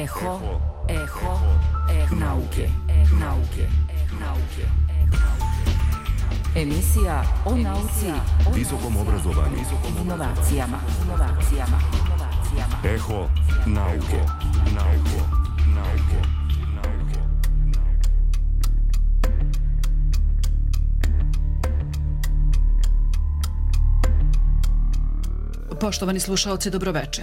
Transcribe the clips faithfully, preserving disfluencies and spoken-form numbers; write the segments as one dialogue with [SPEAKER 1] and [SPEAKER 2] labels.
[SPEAKER 1] Eho, eho, eho nauke, nauke, nauke. Emisija o nauci,
[SPEAKER 2] visokom obrazovanju,
[SPEAKER 1] inovacijama, inovacijama, inovacijama.
[SPEAKER 2] Eho nauke, nauke, nauke, nauke.
[SPEAKER 3] Poštovani slušaoci, dobroveče.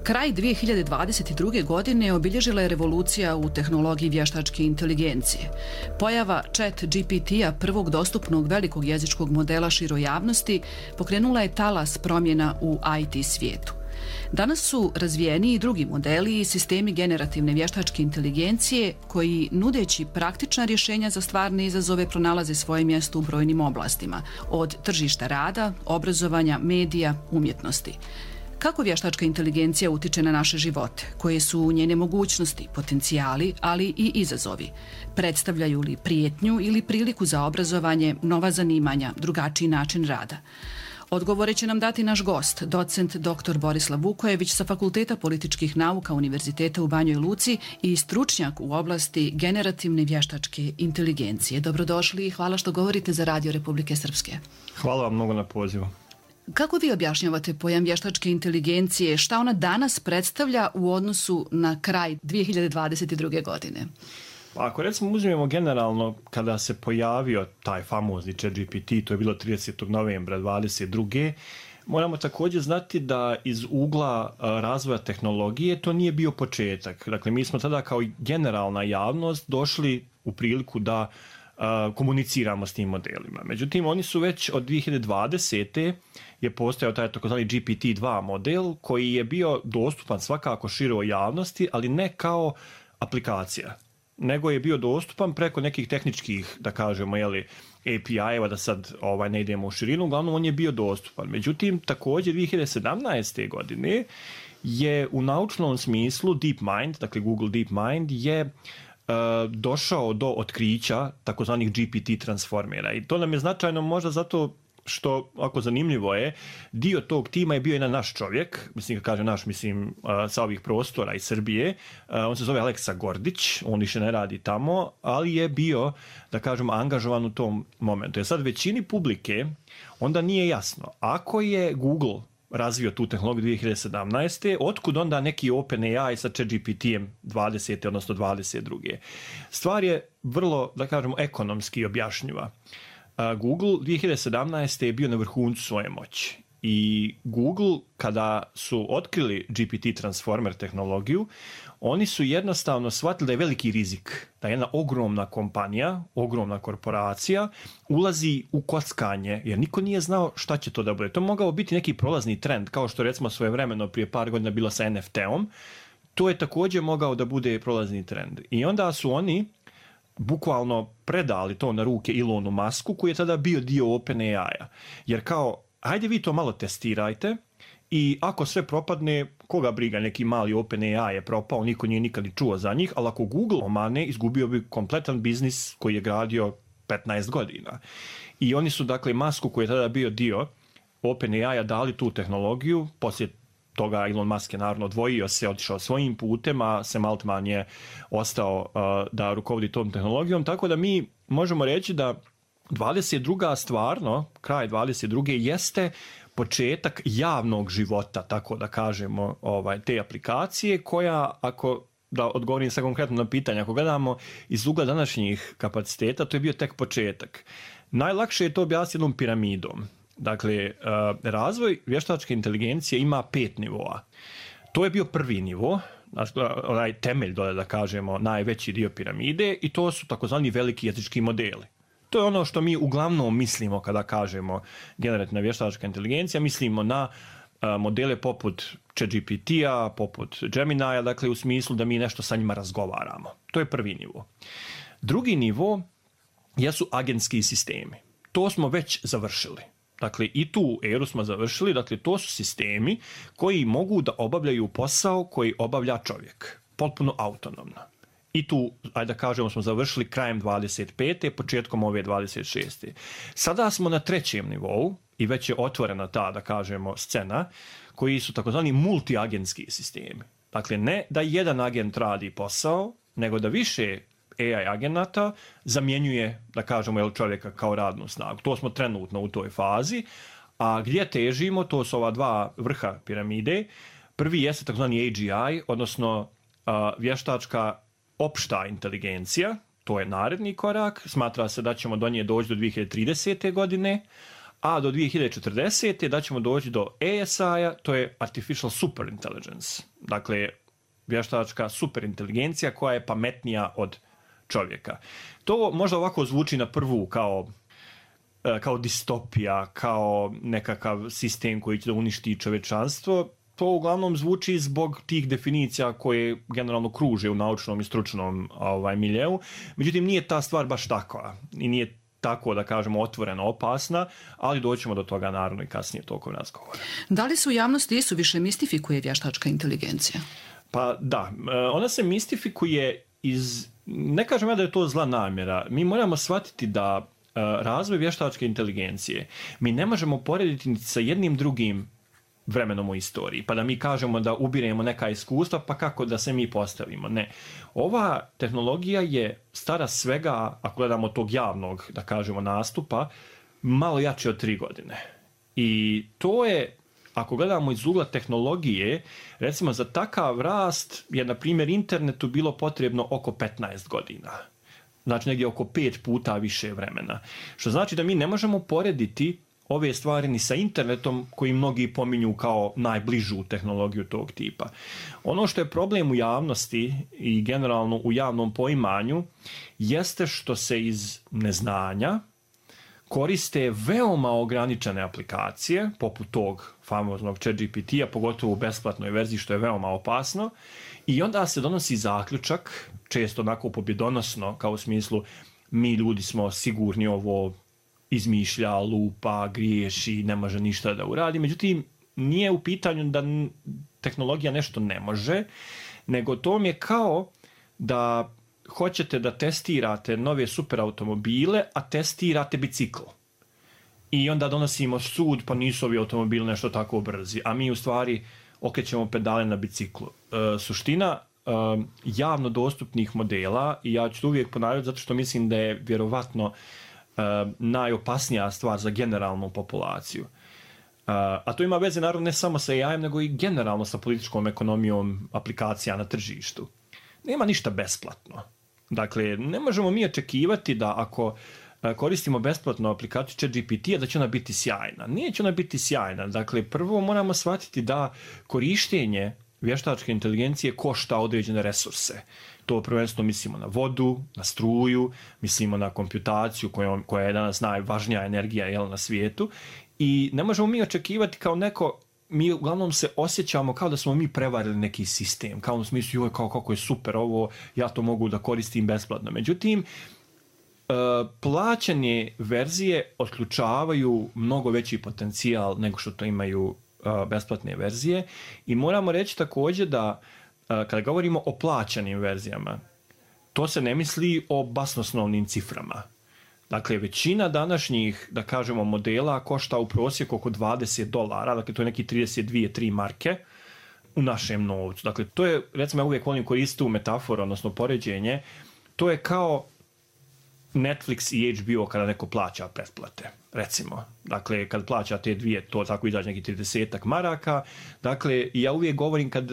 [SPEAKER 3] Kraj dvije hiljade dvadeset druge. godine obilježila je revolucija u tehnologiji vještačke inteligencije. Pojava Chat G P T-a, prvog dostupnog velikog jezičkog modela široj javnosti, pokrenula je talas promjena u I T svijetu. Danas su razvijeni i drugi modeli i sistemi generativne vještačke inteligencije koji, nudeći praktična rješenja za stvarne izazove, pronalaze svoje mjesto u brojnim oblastima, od tržišta rada, obrazovanja, medija, umjetnosti. Kako vještačka inteligencija utiče na naše živote? Koje su njene mogućnosti, potencijali, ali i izazovi? Predstavljaju li prijetnju ili priliku za obrazovanje, nova zanimanja, drugačiji način rada? Odgovore će nam dati naš gost, docent doktor Borislav Vukojević sa Fakulteta političkih nauka Univerziteta u Banjoj Luci i stručnjak u oblasti generativne vještačke inteligencije. Dobrodošli i hvala što govorite za Radio Republike Srpske.
[SPEAKER 4] Hvala vam mnogo na pozivu.
[SPEAKER 3] Kako vi objašnjavate pojam vještačke inteligencije? Šta ona danas predstavlja u odnosu na kraj dvije hiljade dvadeset druge. godine?
[SPEAKER 4] Pa ako recimo uzmemo generalno kada se pojavio taj famozni Chat G P T, to je bilo tridesetog novembra dvadeset druge. Moramo također znati da iz ugla razvoja tehnologije to nije bio početak. Dakle, mi smo tada kao generalna javnost došli u priliku da uh, komuniciramo s tim modelima. Međutim, oni su već od dvije hiljade dvadesete je postojao taj takozvani G P T dva model koji je bio dostupan svakako široj javnosti, ali ne kao aplikacija, nego je bio dostupan preko nekih tehničkih, da kažemo, jeli, A P I-eva, da sad ovaj, ne idemo u širinu, uglavnom on je bio dostupan. Međutim, također dvije hiljade sedamnaeste. godine je u naučnom smislu DeepMind, dakle Google DeepMind, je uh, došao do otkrića takozvanih G P T transformera. I to nam je značajno možda zato što, ako zanimljivo je, dio tog tima je bio jedan naš čovjek, mislim kad kažem naš, mislim sa ovih prostora iz Srbije, on se zove Aleksa Gordić, on više ne radi tamo, ali je bio, da kažem, angažovan u tom momentu. Jer sad većini publike onda nije jasno, ako je Google razvio tu tehnologiju dvije hiljade sedamnaeste. otkud onda neki OpenAI sa Chat G P T-em dvadesete odnosno dvadeset druge. Stvar je vrlo, da kažemo, ekonomski objašnjiva. Google dvije hiljade sedamnaeste. je bio na vrhuncu svoje moći i Google, kada su otkrili G P T transformer tehnologiju, oni su jednostavno shvatili da je veliki rizik, da jedna ogromna kompanija, ogromna korporacija ulazi u kockanje, jer niko nije znao šta će to da bude. To mogao biti neki prolazni trend, kao što recimo svojevremeno prije par godina bilo sa N F T-om, to je također mogao da bude prolazni trend. I onda su oni bukvalno predali to na ruke Elonu Musku, koji je tada bio dio OpenAI-a. Jer kao, hajde vi to malo testirajte i ako sve propadne, koga briga, neki mali OpenAI je propao, niko nije nikad ni čuo za njih, ali ako Google omane, izgubio bi kompletan biznis koji je gradio petnaest godina. I oni su, dakle, Musku, koji je tada bio dio OpenAI-a, dali tu tehnologiju, poslije toga Elon Musk je naravno odvojio se, otišao svojim putem, a Sam Altman je ostao uh, da rukovodi tom tehnologijom, tako da mi možemo reći da dvadeset druga stvarno, kraj dvadeset druge jeste početak javnog života, tako da kažemo, ovaj, te aplikacije koja, ako da odgovorim sad konkretno na pitanje, ako gledamo iz ugla današnjih kapaciteta, to je bio tek početak. Najlakše je to objasniti jednom piramidom. Dakle, razvoj vještačke inteligencije ima pet nivoa. To je bio prvi nivo, onaj temelj, dole da kažemo, najveći dio piramide, i to su takozvani veliki jezički modeli. To je ono što mi uglavnom mislimo kada kažemo generativna vještačka inteligencija, mislimo na modele poput Chat G P T-a, poput Gemini-a, dakle u smislu da mi nešto sa njima razgovaramo. To je prvi nivo. Drugi nivo jesu agentski sistemi. To smo već završili. Dakle, i tu eru smo završili, dakle, to su sistemi koji mogu da obavljaju posao koji obavlja čovjek, potpuno autonomno. I tu, ajde da kažemo, smo završili krajem dvadeset pete. početkom ove dvadeset šeste. Sada smo na trećem nivou i već je otvorena ta, da kažemo, scena, koji su takozvani multiagentski sistemi. Dakle, ne da jedan agent radi posao, nego da više A I agenata zamjenjuje, da kažemo, jel, čovjeka kao radnu snagu. To smo trenutno u toj fazi. A gdje težimo, to su ova dva vrha piramide. Prvi jeste takozvani A G I, odnosno a, vještačka opšta inteligencija. To je naredni korak. Smatra se da ćemo do nje doći do dvije hiljade tridesete. godine, a do dvije hiljade četrdesete. da ćemo doći do A S I-a, to je Artificial Superintelligence. Dakle, vještačka superinteligencija koja je pametnija od čovjeka. To možda ovako zvuči na prvu kao, kao distopija, kao nekakav sistem koji će da uništi čovječanstvo. To uglavnom zvuči zbog tih definicija koje generalno kruže u naučnom i stručnom ovaj, miljeu. Međutim, nije ta stvar baš takva i nije tako, da kažemo, otvoreno opasna, ali doćemo do toga naravno i kasnije tokom razgovora.
[SPEAKER 3] Da li se u javnosti isuviše mistifikuje vještačka inteligencija?
[SPEAKER 4] Pa da, ona se mistifikuje iz, ne kažem ja da je to zla namjera, mi moramo shvatiti da razvoj vještačke inteligencije mi ne možemo porediti ni sa jednim drugim vremenom u istoriji, pa da mi kažemo da ubiremo neka iskustva, pa kako da se mi postavimo. Ne. Ova tehnologija je stara svega, ako gledamo tog javnog, da kažemo, nastupa, malo jače od tri godine. I to je, ako gledamo iz ugla tehnologije, recimo za takav rast je, na primjer, internetu bilo potrebno oko petnaest godina. Znači negdje oko pet puta više vremena. Što znači da mi ne možemo porediti ove stvari ni sa internetom koji mnogi pominju kao najbližu tehnologiju tog tipa. Ono što je problem u javnosti i generalno u javnom poimanju jeste što se iz neznanja koriste veoma ograničene aplikacije, poput tog famoznog ChatGPT-a, pogotovo u besplatnoj verziji, što je veoma opasno, i onda se donosi zaključak, često onako pobjedonosno, kao u smislu mi ljudi smo sigurni, ovo izmišlja, lupa, griješi, ne može ništa da uradi. Međutim, nije u pitanju da tehnologija nešto ne može, nego to mi je kao da hoćete da testirate nove superautomobile, a testirate bicikl. I onda donosimo sud, pa nisu ovi automobili nešto tako brzi, a mi u stvari okrećemo pedale na biciklu. E, suština e, javno dostupnih modela, i ja ću to uvijek ponavljati zato što mislim da je vjerovatno e, najopasnija stvar za generalnu populaciju. E, a to ima veze naravno ne samo sa A I-em, nego i generalno sa političkom ekonomijom aplikacija na tržištu. Nema ništa besplatno. Dakle, ne možemo mi očekivati da ako koristimo besplatnu aplikaciju ChatGPT-a da će ona biti sjajna. Nije će ona biti sjajna. Dakle, prvo moramo shvatiti da korištenje vještačke inteligencije košta određene resurse. To prvenstveno mislimo na vodu, na struju, mislimo na komputaciju koja, koja je danas najvažnija energija, jel, na svijetu. I ne možemo mi očekivati kao neko, mi uglavnom se osjećamo kao da smo mi prevarili neki sistem, kao u smislu, joj, kao kako je super ovo, ja to mogu da koristim besplatno. Međutim, plaćanje verzije otključavaju mnogo veći potencijal nego što to imaju besplatne verzije, i moramo reći također da kada govorimo o plaćanim verzijama, to se ne misli o basnoslovnim ciframa. Dakle, većina današnjih, da kažemo, modela košta u prosjeku oko dvadeset dolara, dakle to je neki trideset dvije tri marke u našem novcu. Dakle, to je, recimo, ja uvijek volim koristiti tu metaforu, odnosno poređenje, to je kao Netflix i H B O kada neko plaća pretplate, recimo. Dakle, kad plaća te dvije, to tako izađe neki tridesetak maraka. Dakle, ja uvijek govorim kad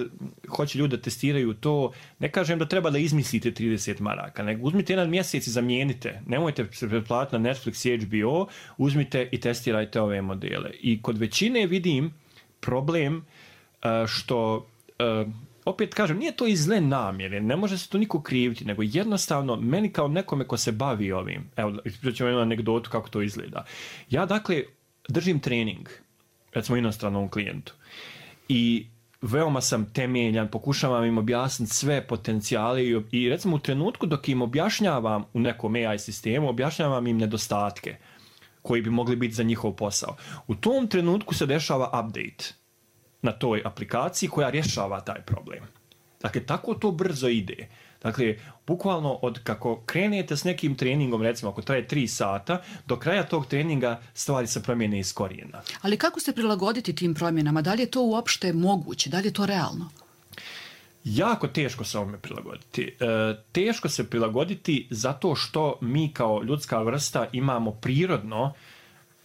[SPEAKER 4] hoće ljudi da testiraju to, ne kažem da treba da izmislite trideset maraka, nego uzmite jedan mjesec i zamijenite. Nemojte se pretplatiti na Netflix i H B O, uzmite i testirajte ove modele. I kod većine vidim problem što, opet kažem, nije to iz zle namjere, ne može se to niko kriviti, nego jednostavno meni kao nekome ko se bavi ovim, evo, ispričat ću jednu anegdotu kako to izgleda. Ja, dakle, držim trening, recimo, inostranom klijentu, i veoma sam temeljan, pokušavam im objasniti sve potencijale i, i recimo u trenutku dok im objašnjavam u nekom A I sistemu, objašnjavam im nedostatke koji bi mogli biti za njihov posao. U tom trenutku se dešava update na toj aplikaciji koja rješava taj problem. Dakle, tako to brzo ide. Dakle, bukvalno od kako krenete s nekim treningom, recimo ako traje tri sata, do kraja tog treninga stvari se promijene iz korijena.
[SPEAKER 3] Ali kako se prilagoditi tim promjenama? Da li je to uopšte moguće? Da li je to realno?
[SPEAKER 4] Jako teško se ovome prilagoditi. E, teško se prilagoditi zato što mi kao ljudska vrsta imamo prirodno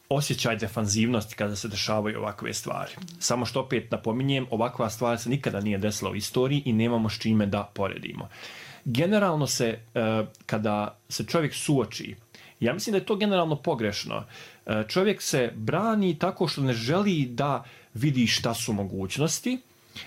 [SPEAKER 4] osjećaj defanzivnosti kada se dešavaju ovakve stvari. Samo što opet napominjem, ovakva stvar se nikada nije desila u istoriji i nemamo s čime da poredimo. Generalno se, e, kada se čovjek suoči, ja mislim da je to generalno pogrešno, e, čovjek se brani tako što ne želi da vidi šta su mogućnosti,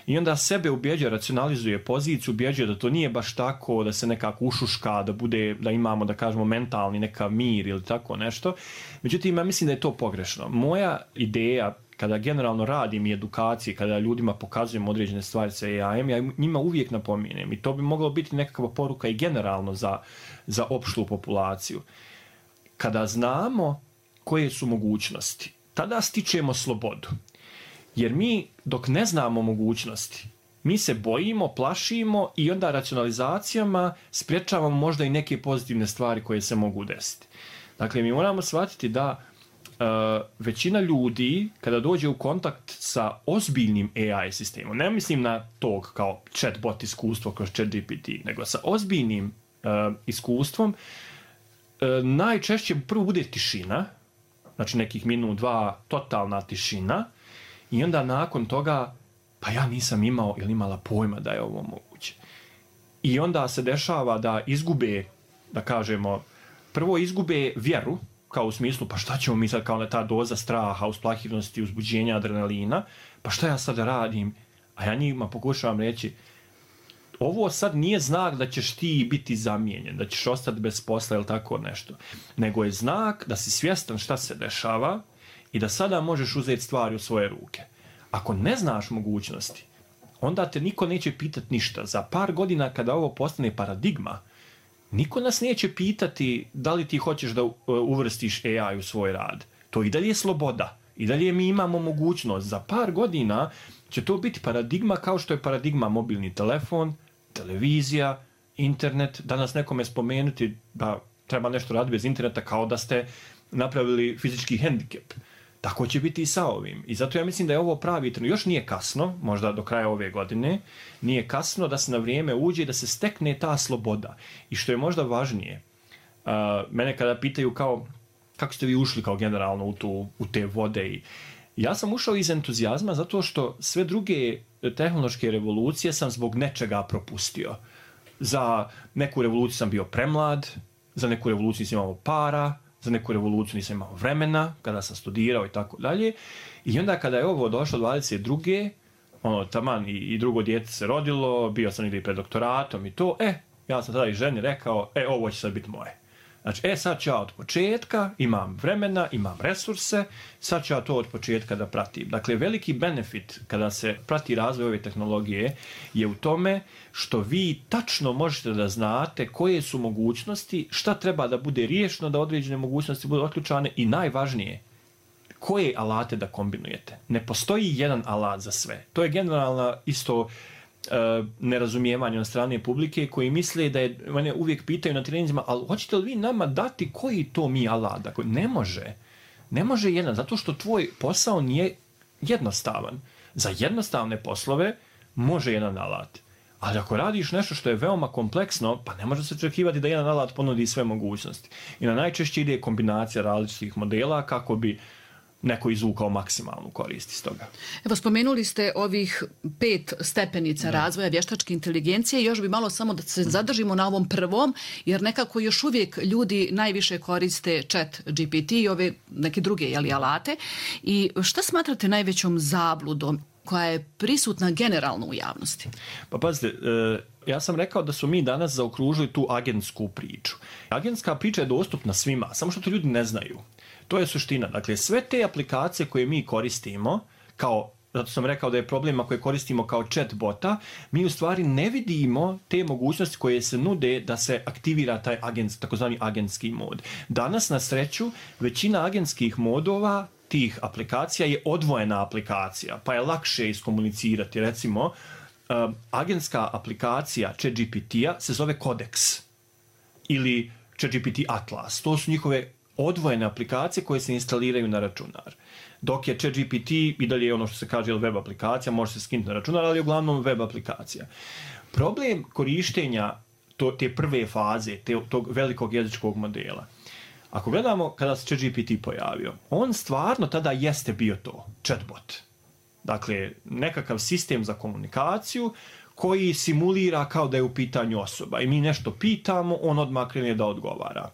[SPEAKER 4] i onda sebe ubjeđuje, racionalizuje poziciju, ubjeđuje da to nije baš tako, da se nekako ušuška, da bude, da imamo, da kažemo, mentalni neka mir ili tako nešto. Međutim, ja mislim da je to pogrešno. Moja ideja, kada generalno radim i edukacije, kada ljudima pokazujem određene stvari sa A I-em, ja njima uvijek napominjem, i to bi moglo biti nekakva poruka i generalno za, za opštu populaciju. Kada znamo koje su mogućnosti, tada stičemo slobodu. Jer mi, dok ne znamo mogućnosti, mi se bojimo, plašimo i onda racionalizacijama sprječavamo možda i neke pozitivne stvari koje se mogu desiti. Dakle, mi moramo shvatiti da uh, većina ljudi, kada dođe u kontakt sa ozbiljnim A I sistemom, ne mislim na tog kao chatbot iskustvo kroz ChatGPT, nego sa ozbiljnim uh, iskustvom, uh, najčešće prvo bude tišina, znači nekih minut, dva, totalna tišina, i onda nakon toga, pa ja nisam imao ili imala pojma da je ovo moguće. I onda se dešava da izgube, da kažemo, prvo izgube vjeru, kao u smislu, pa šta ćemo mi sad, kao na ta doza straha, usplahivnosti, uzbuđenja, adrenalina, pa šta ja sad radim? A ja njima pokušavam reći, ovo sad nije znak da ćeš ti biti zamijenjen, da ćeš ostati bez posla ili tako nešto, nego je znak da si svjestan šta se dešava i da sada možeš uzeti stvari u svoje ruke. Ako ne znaš mogućnosti, onda te niko neće pitati ništa. Za par godina kada ovo postane paradigma, niko nas neće pitati da li ti hoćeš da uvrstiš A I u svoj rad. To i dalje je sloboda. I dalje mi imamo mogućnost. Za par godina će to biti paradigma kao što je paradigma mobilni telefon, televizija, internet. Danas nekome spomenuti da treba nešto raditi bez interneta kao da ste napravili fizički hendikep. Tako će biti i sa ovim. I zato ja mislim da je ovo pravi trenutak. Još nije kasno, možda do kraja ove godine, nije kasno da se na vrijeme uđe i da se stekne ta sloboda. I što je možda važnije, uh, mene kada pitaju kao, kako ste vi ušli kao generalno u, tu, u te vode, i ja sam ušao iz entuzijazma zato što sve druge tehnološke revolucije sam zbog nečega propustio. Za neku revoluciju sam bio premlad, za neku revoluciju nisam imao para, za neku revoluciju nisam imao vremena, kada sam studirao i tako dalje. I onda kada je ovo došlo dvadeset druge ono, taman i, i drugo dijete se rodilo, bio sam ili pred doktoratom i to, e, ja sam tada i ženi rekao, e, ovo će sad biti moje. Znači, e, sad ću ja od početka, imam vremena, imam resurse, sad ću ja to od početka da pratim. Dakle, veliki benefit kada se prati razvoj ove tehnologije je u tome što vi tačno možete da znate koje su mogućnosti, šta treba da bude riješeno, da određene mogućnosti budu otključane i najvažnije, koje alate da kombinujete. Ne postoji jedan alat za sve. To je generalna isto Uh, nerazumijevanje od strane publike koji misle da je, mene uvijek pitaju na treninzima, ali hoćete li vi nama dati koji to mi alat? Dakle, ne može. Ne može jedan, zato što tvoj posao nije jednostavan. Za jednostavne poslove može jedan alat. Ali ako radiš nešto što je veoma kompleksno, pa ne može se očekivati da jedan alat ponudi sve mogućnosti. I na najčešće ide kombinacija različitih modela kako bi neko izvukao maksimalnu korist iz toga.
[SPEAKER 3] Evo, spomenuli ste ovih pet stepenica da. razvoja vještačke inteligencije. Još bi malo samo da se zadržimo na ovom prvom, jer nekako još uvijek ljudi najviše koriste chat G P T i ove neke druge jeli, alate. I šta smatrate najvećom zabludom koja je prisutna generalno u javnosti?
[SPEAKER 4] Pa pazite, ja sam rekao da su mi danas zaokružili tu agentsku priču. Agentska priča je dostupna svima, samo što to ljudi ne znaju. To je suština. Dakle, sve te aplikacije koje mi koristimo, kao, zato sam rekao da je problema koje koristimo kao chatbota, mi u stvari ne vidimo te mogućnosti koje se nude da se aktivira taj agent, takozvani agentski mod. Danas, na sreću, većina agentskih modova tih aplikacija je odvojena aplikacija, pa je lakše iskomunicirati. Recimo, um, agentska aplikacija ChatGPT-a se zove Codex ili ChatGPT Atlas. To su njihove odvojene aplikacije koje se instaliraju na računar. Dok je ChatGPT i dalje ono što se kaže web aplikacija, može se skinuti na računar, ali je uglavnom web aplikacija. Problem korištenja to, te prve faze, te, tog velikog jezičkog modela, ako gledamo kada se ChatGPT pojavio, on stvarno tada jeste bio to, chatbot. Dakle, nekakav sistem za komunikaciju koji simulira kao da je u pitanju osoba. I mi nešto pitamo, on odmah krene da odgovara.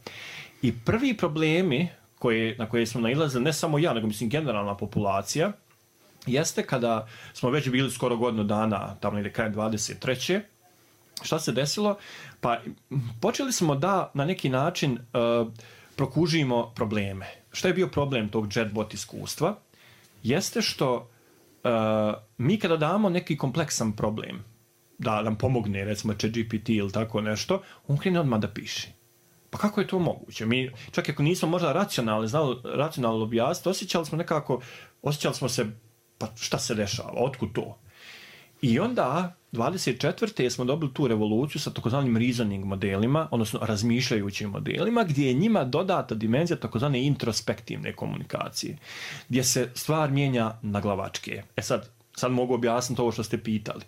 [SPEAKER 4] I prvi problemi koje, na koje smo nailazili, ne samo ja, nego mislim generalna populacija, jeste kada smo već bili skoro godinu dana, tamo negdje krajem dvadeset treće Šta se desilo? Pa počeli smo da na neki način uh, prokužimo probleme. Šta je bio problem tog chatbot iskustva? Jeste što uh, mi kada damo neki kompleksan problem, da nam pomogne, recimo ChatGPT ili tako nešto, on krene odmah da piše. Pa kako je to moguće? Mi, čak ako nismo možda racionalni, znali racionalno objasniti, osjećali smo nekako, osjećali smo se, pa šta se dešava, otkud to? I onda, dvadeset četvrte smo dobili tu revoluciju sa takozvanim reasoning modelima, odnosno razmišljajućim modelima, gdje je njima dodata dimenzija takozvane introspektivne komunikacije, gdje se stvar mijenja na glavačke. E sad, sad mogu objasniti ovo što ste pitali.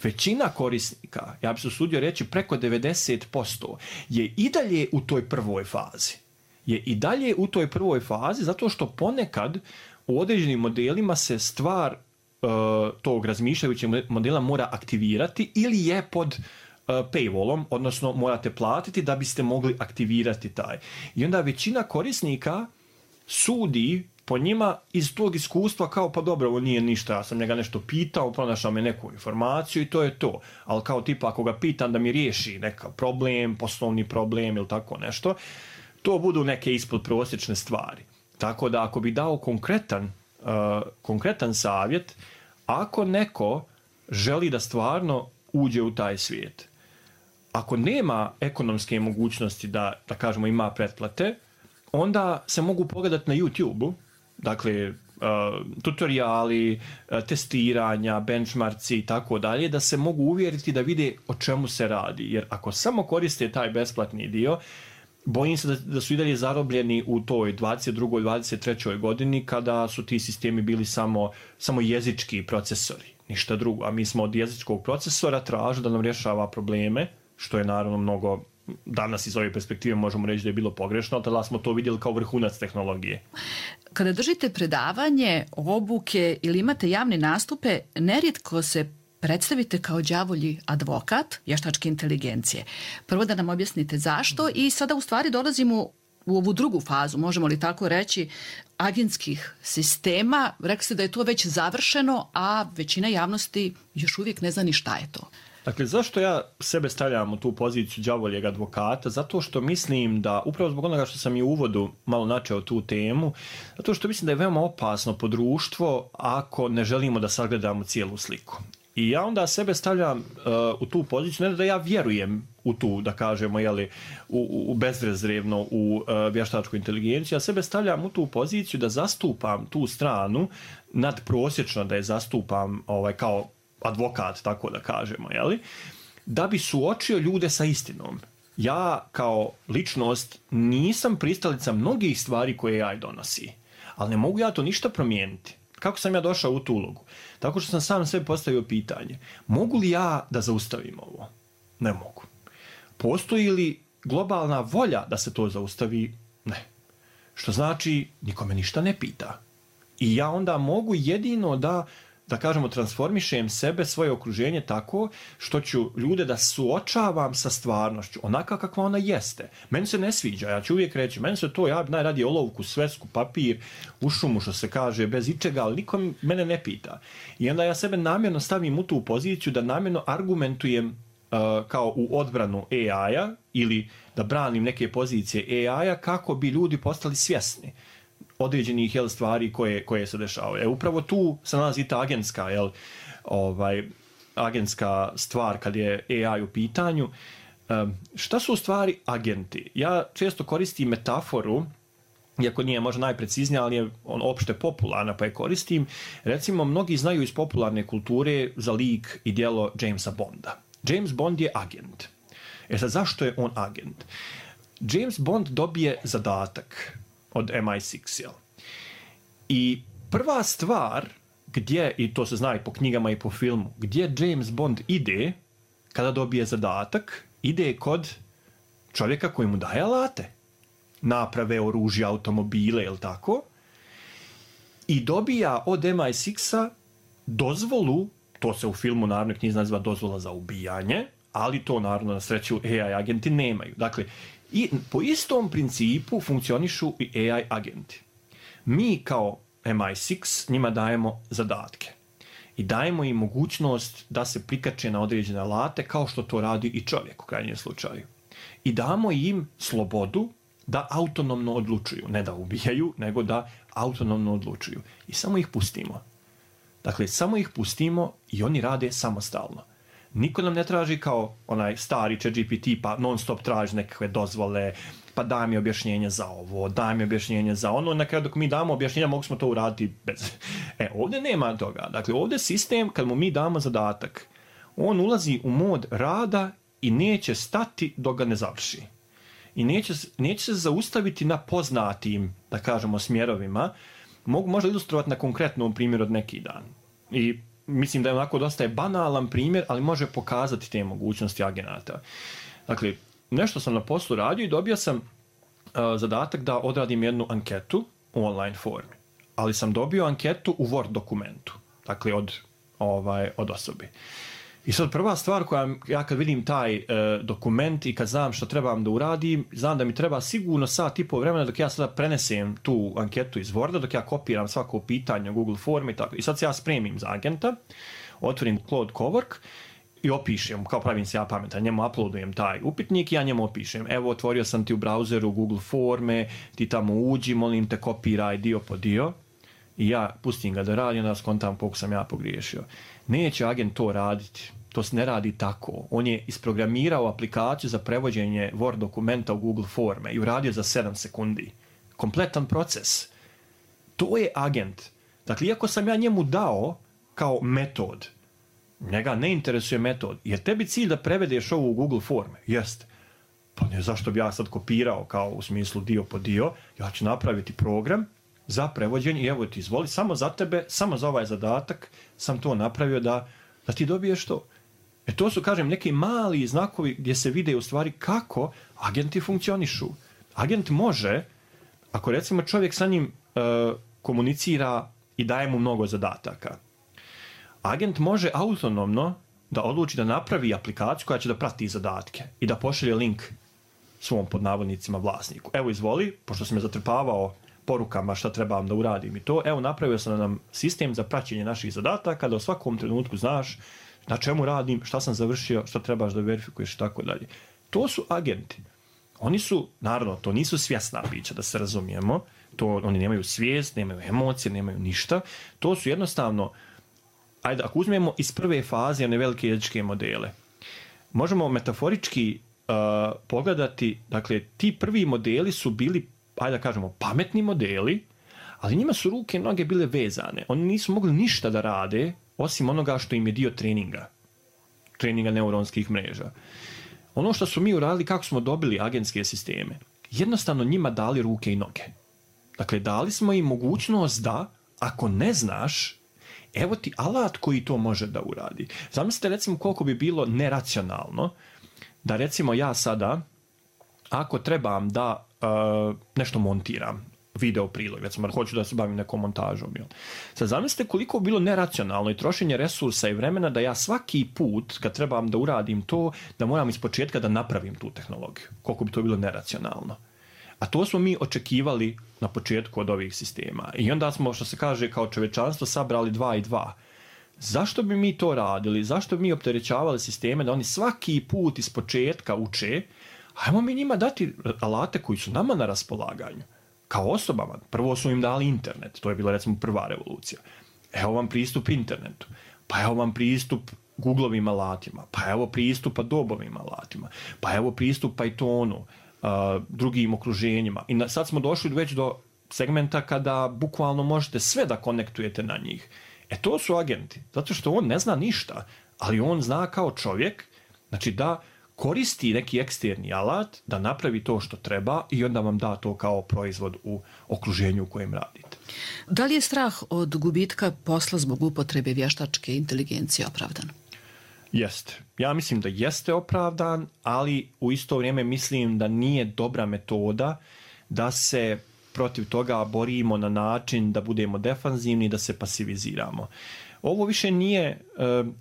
[SPEAKER 4] Većina korisnika, ja bih se usudio reći preko devedeset posto, je i dalje u toj prvoj fazi. Je i dalje u toj prvoj fazi zato što ponekad u određenim modelima se stvar uh, tog razmišljajućeg modela mora aktivirati ili je pod uh, paywallom, odnosno morate platiti da biste mogli aktivirati taj. I onda većina korisnika sudi po njima iz tog iskustva kao pa dobro, ovo nije ništa, ja sam njega nešto pitao, pronašao me neku informaciju i to je to. Ali kao tipa ako ga pitam da mi riješi neka problem, poslovni problem ili tako nešto, to budu neke ispod prosječne stvari. Tako da ako bi dao konkretan, uh, konkretan savjet, ako neko želi da stvarno uđe u taj svijet, ako nema ekonomske mogućnosti da, da kažemo, ima pretplate, onda se mogu pogledati na YouTube-u, dakle, uh, tutoriali, uh, testiranja, benchmarci i tako dalje, da se mogu uvjeriti da vide o čemu se radi. Jer ako samo koriste taj besplatni dio, bojim se da, da su i dalje zarobljeni u toj dvadeset drugoj dvadeset trećoj godini kada su ti sistemi bili samo, samo jezički procesori, ništa drugo. A mi smo od jezičkog procesora tražili da nam rješava probleme, što je naravno mnogo, danas iz ove perspektive možemo reći da je bilo pogrešno, ali tada smo to vidjeli kao vrhunac tehnologije.
[SPEAKER 3] Kada držite predavanje, obuke ili imate javne nastupe, nerijetko se predstavite kao đavolji advokat vještačke inteligencije. Prvo da nam objasnite zašto i sada u stvari dolazimo u ovu drugu fazu, možemo li tako reći, agentskih sistema. Rekli ste da je to već završeno, a većina javnosti još uvijek ne zna ni šta je to.
[SPEAKER 4] Dakle, zašto ja sebe stavljam u tu poziciju đavoljeg advokata? Zato što mislim da, upravo zbog onoga što sam i u uvodu malo načeo tu temu, zato što mislim da je veoma opasno po društvo ako ne želimo da sagledamo cijelu sliku. I ja onda sebe stavljam uh, u tu poziciju, ne da ja vjerujem u tu, da kažemo, jeli, u, u bezrezervno u uh, vještačku inteligenciju, ja sebe stavljam u tu poziciju da zastupam tu stranu, nadprosječno da je zastupam ovaj, kao advokat, tako da kažemo, jeli, da bi suočio ljude sa istinom. Ja kao ličnost nisam pristalica mnogih stvari koje A I donosi, ali ne mogu ja to ništa promijeniti. Kako sam ja došao u tu ulogu? Tako što sam sam sebi postavio pitanje, mogu li ja da zaustavim ovo? Ne mogu. Postoji li globalna volja da se to zaustavi? Ne. Što znači, nikome ništa ne pita. I ja onda mogu jedino da da kažemo, transformišem sebe, svoje okruženje tako što ću ljude da suočavam sa stvarnošću, onaka kakva ona jeste. Meni se ne sviđa, ja ću uvijek reći, meni se to, ja bi najradije olovku, svesku, papir, u šumu, što se kaže, bez ičega, ali niko mene ne pita. I onda ja sebe namjerno stavim u tu poziciju da namjerno argumentujem uh, kao u odbranu A I-a ili da branim neke pozicije A I-a kako bi ljudi postali svjesni određenih jel, stvari koje, koje se dešavaju. E, upravo tu se nalazi ta agentska, jel, ovaj, agentska stvar kad je A I u pitanju. Um, šta su u stvari agenti? Ja često koristim metaforu, iako nije možda najpreciznija, ali je on opšte popularna, pa je koristim. Recimo, mnogi znaju iz popularne kulture za lik i djelo Jamesa Bonda. James Bond je agent. E sad, zašto je on agent? James Bond dobije zadatak od M I šest, jel? I prva stvar gdje, i to se zna i po knjigama i po filmu, gdje James Bond ide kada dobije zadatak, ide kod čovjeka koji mu daje alate. Naprave, oružja, automobile, jel tako? I dobija od M I šest dozvolu, to se u filmu naravno knjizi naziva dozvola za ubijanje, ali to naravno na sreću A I agenti nemaju. Dakle, i po istom principu funkcionišu i A I agenti. Mi kao M I šest njima dajemo zadatke i dajemo im mogućnost da se prikače na određene alate kao što to radi i čovjek u krajnjem slučaju. I damo im slobodu da autonomno odlučuju, ne da ubijaju, nego da autonomno odlučuju. I samo ih pustimo. Dakle, samo ih pustimo i oni rade samostalno. Niko nam ne traži kao onaj stari ChatGPT pa non stop traži nekakve dozvole, pa daj mi objašnjenje za ovo, daj mi objašnjenje za ono. Na kraju dok mi damo objašnjenja mogu smo to uraditi bez... E, ovdje nema toga. Dakle, ovdje sistem, kad mu mi damo zadatak, on ulazi u mod rada i neće stati dok ga ne završi. I neće, neće se zaustaviti na poznatim, da kažemo, smjerovima. Mogu možda ilustrovati na konkretnom primjeru od neki dan. I mislim da je onako dosta je banalan primjer, ali može pokazati te mogućnosti agenata. Dakle, nešto sam na poslu radio i dobio sam uh, zadatak da odradim jednu anketu u online formi. Ali sam dobio anketu u Word dokumentu. Dakle, od, ovaj, od osobe. I sad prva stvar koja, ja kad vidim taj uh, dokument i kad znam što trebam da uradim, znam da mi treba sigurno sat i pol vremena dok ja sada prenesem tu anketu iz Worda, dok ja kopiram svako pitanje u Google formi i tako. I sad se ja spremim za agenta, otvorim Claude Cowork i opišem, kao pravim se ja pametan, njemu uploadujem taj upitnik i ja njemu opišem. Evo, otvorio sam ti u brauzeru Google forme, ti tamo uđi, molim te, kopiraj dio po dio. I ja pustim ga da radi, onda skontam koliko sam ja pogriješio. Neće agent to raditi. To se ne radi tako. On je isprogramirao aplikaciju za prevođenje Word dokumenta u Google forme i uradio za sedam sekundi. Kompletan proces. To je agent. Dakle, iako sam ja njemu dao kao metod, njega ne interesuje metod. Je tebi cilj da prevedeš ovo u Google forme? Jest. Pa ne, zašto bi ja sad kopirao kao u smislu dio po dio? Ja ću napraviti program za prevođenje i evo ti izvoli, samo za tebe, samo za ovaj zadatak sam to napravio da, da ti dobiješ to. E to su, kažem, neki mali znakovi gdje se vide u stvari kako agenti funkcionišu. Agent može, ako recimo čovjek sa njim e, komunicira i daje mu mnogo zadataka, agent može autonomno da odluči da napravi aplikaciju koja će da prati zadatke i da pošalje link svom pod navodnicima vlasniku. Evo izvoli, pošto sam me zatrpavao porukama šta trebam da uradim i to, evo napravio sam nam sistem za praćenje naših zadataka, da u svakom trenutku znaš na čemu radim, šta sam završio, šta trebaš da verifikuješ i tako dalje. To su agenti. Oni su, naravno, to nisu svjesna bića, da se razumijemo, to, oni nemaju svijest, nemaju emocije, nemaju ništa. To su jednostavno, ajde, ako uzmemo iz prve faze one velike jezičke modele, možemo metaforički uh, pogledati, dakle, ti prvi modeli su bili, ajde da kažemo, pametni modeli, ali njima su ruke i noge bile vezane. Oni nisu mogli ništa da rade, osim onoga što im je dio treninga. Treninga neuronskih mreža. Ono što su mi uradili, kako smo dobili agentske sisteme, jednostavno njima dali ruke i noge. Dakle, dali smo im mogućnost da, ako ne znaš, evo ti alat koji to može da uradi. Zamislite, recimo, koliko bi bilo neracionalno da, recimo, ja sada, ako trebam da uh, nešto montiram, video prilog, recimo, hoću da se bavim nekom montažom. Jel? Sad zamislite koliko bi bilo neracionalno i trošenje resursa i vremena da ja svaki put, kad trebam da uradim to, da moram iz početka da napravim tu tehnologiju. Koliko bi to bilo neracionalno. A to smo mi očekivali na početku od ovih sistema. I onda smo, što se kaže, kao čovečanstvo sabrali dva i dva. Zašto bi mi to radili? Zašto bi mi opterećavali sisteme da oni svaki put iz početka uče? Hajmo mi njima dati alate koji su nama na raspolaganju. Kao osobama. Prvo su im dali internet. To je bila, recimo, prva revolucija. Evo vam pristup internetu. Pa evo vam pristup Googlovim alatima. Pa evo pristup Adobovim alatima. Pa evo pristup Pythonu, uh, drugim okruženjima. I na, sad smo došli već do segmenta kada bukvalno možete sve da konektujete na njih. E to su agenti. Zato što on ne zna ništa, ali on zna kao čovjek, znači da koristi neki eksterni alat da napravi to što treba i onda vam da to kao proizvod u okruženju u kojem radite.
[SPEAKER 3] Da li je strah od gubitka posla zbog upotrebe vještačke inteligencije opravdan?
[SPEAKER 4] Jeste. Ja mislim da jeste opravdan, ali u isto vrijeme mislim da nije dobra metoda da se protiv toga borimo na način da budemo defanzivni, da se pasiviziramo. Ovo više nije e,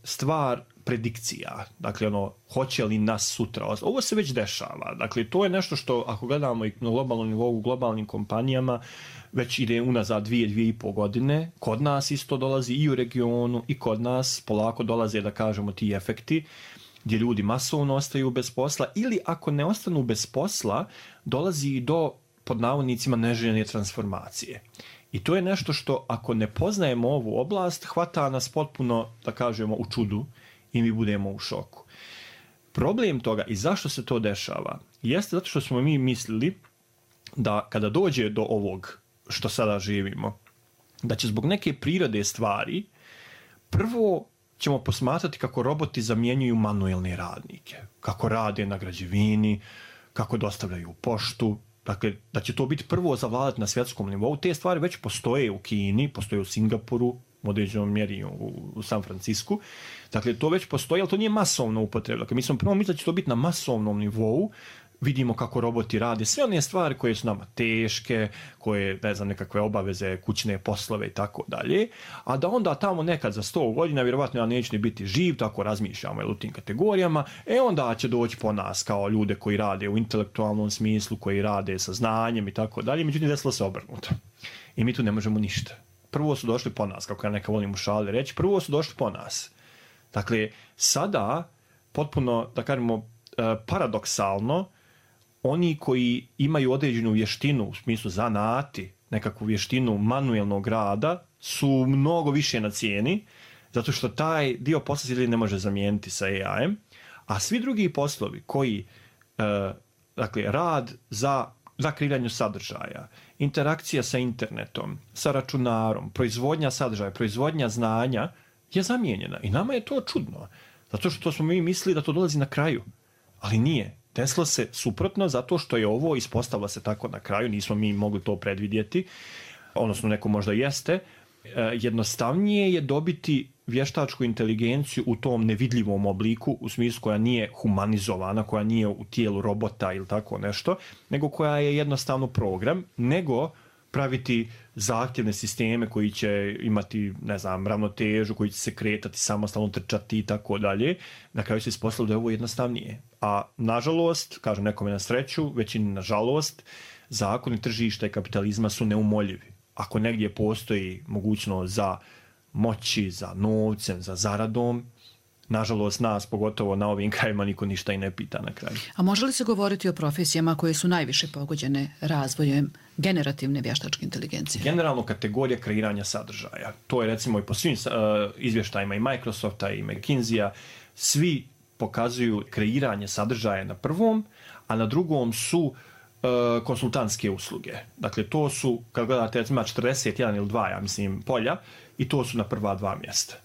[SPEAKER 4] stvar predikcija, dakle ono, hoće li nas sutra, ovo se već dešava, dakle to je nešto što ako gledamo i na globalnom nivou u globalnim kompanijama već ide unazad dvije, dvije i pol godine, kod nas isto dolazi i u regionu i kod nas polako dolaze da kažemo ti efekti gdje ljudi masovno ostaju bez posla ili ako ne ostanu bez posla dolazi i do pod navodnicima neželjene transformacije. I to je nešto što ako ne poznajemo ovu oblast hvata nas potpuno da kažemo u čudu i mi budemo u šoku. Problem toga i zašto se to dešava jeste zato što smo mi mislili da kada dođe do ovog što sada živimo, da će zbog neke prirode stvari prvo ćemo posmatrati kako roboti zamjenjuju manuelne radnike, kako rade na građevini, kako dostavljaju poštu, dakle da će to biti prvo zavladati na svjetskom nivou. Te stvari već postoje u Kini, postoje u Singapuru, u određenom mjeri u, u San Francisku. Dakle, to već postoji, ali to nije masovno upotreba. Dakle, mi smo prvo mislili da će to biti na masovnom nivou, vidimo kako roboti rade, sve one stvari koje su nama teške, koje, ne znam, nekakve obaveze, kućne poslove i tako dalje, a da onda tamo nekad za sto godina, vjerovatno ja neću ni biti živ, tako razmišljamo u tim kategorijama, e onda će doći po nas kao ljude koji rade u intelektualnom smislu, koji rade sa znanjem i tako dalje, međutim desilo se obrnuto. I mi tu ne možemo ništa. Prvo su došli po nas, kako ja neka volim u šali reći, prvo su došli po nas. Dakle, sada, potpuno, da kažemo, paradoksalno, oni koji imaju određenu vještinu, u smislu zanati, nekakvu vještinu manuelnog rada, su mnogo više na cijeni, zato što taj dio posla se ne može zamijeniti sa A I-em, a svi drugi poslovi koji, dakle, rad za, za kreiranje sadržaja, interakcija sa internetom, sa računarom, proizvodnja sadržaja, proizvodnja znanja, je zamijenjena. I nama je to čudno, zato što smo mi mislili da to dolazi na kraju, ali nije. Desilo se suprotno zato što je ovo ispostavilo se tako na kraju, nismo mi mogli to predvidjeti, odnosno neko možda jeste. Jednostavnije je dobiti vještačku inteligenciju u tom nevidljivom obliku, u smislu koja nije humanizovana, koja nije u tijelu robota ili tako nešto, nego koja je jednostavno program, nego praviti zahtjevne sisteme koji će imati, ne znam, ravnotežu, koji će se kretati, samostalno trčati i tako dalje. Na kraju se ispostavilo da je ovo jednostavnije. A nažalost, kažem nekome na sreću, većini nažalost, zakoni tržišta i kapitalizma su neumoljivi. Ako negdje postoji mogućnost za moći, za novcem, za zaradom, nažalost nas, pogotovo na ovim krajima, niko ništa i ne pita na kraju.
[SPEAKER 3] A može li se govoriti o profesijama koje su najviše pogođene razvojem generativne vještačke inteligencije?
[SPEAKER 4] Generalno kategorija kreiranja sadržaja. To je recimo i po svim uh, izvještajima i Microsofta i McKinsey-a, svi pokazuju kreiranje sadržaja na prvom, a na drugom su uh, konsultantske usluge. Dakle, to su, kad gledate, recimo četrdeset jedan ili dva, ja mislim, polja, i to su na prva dva mjesta.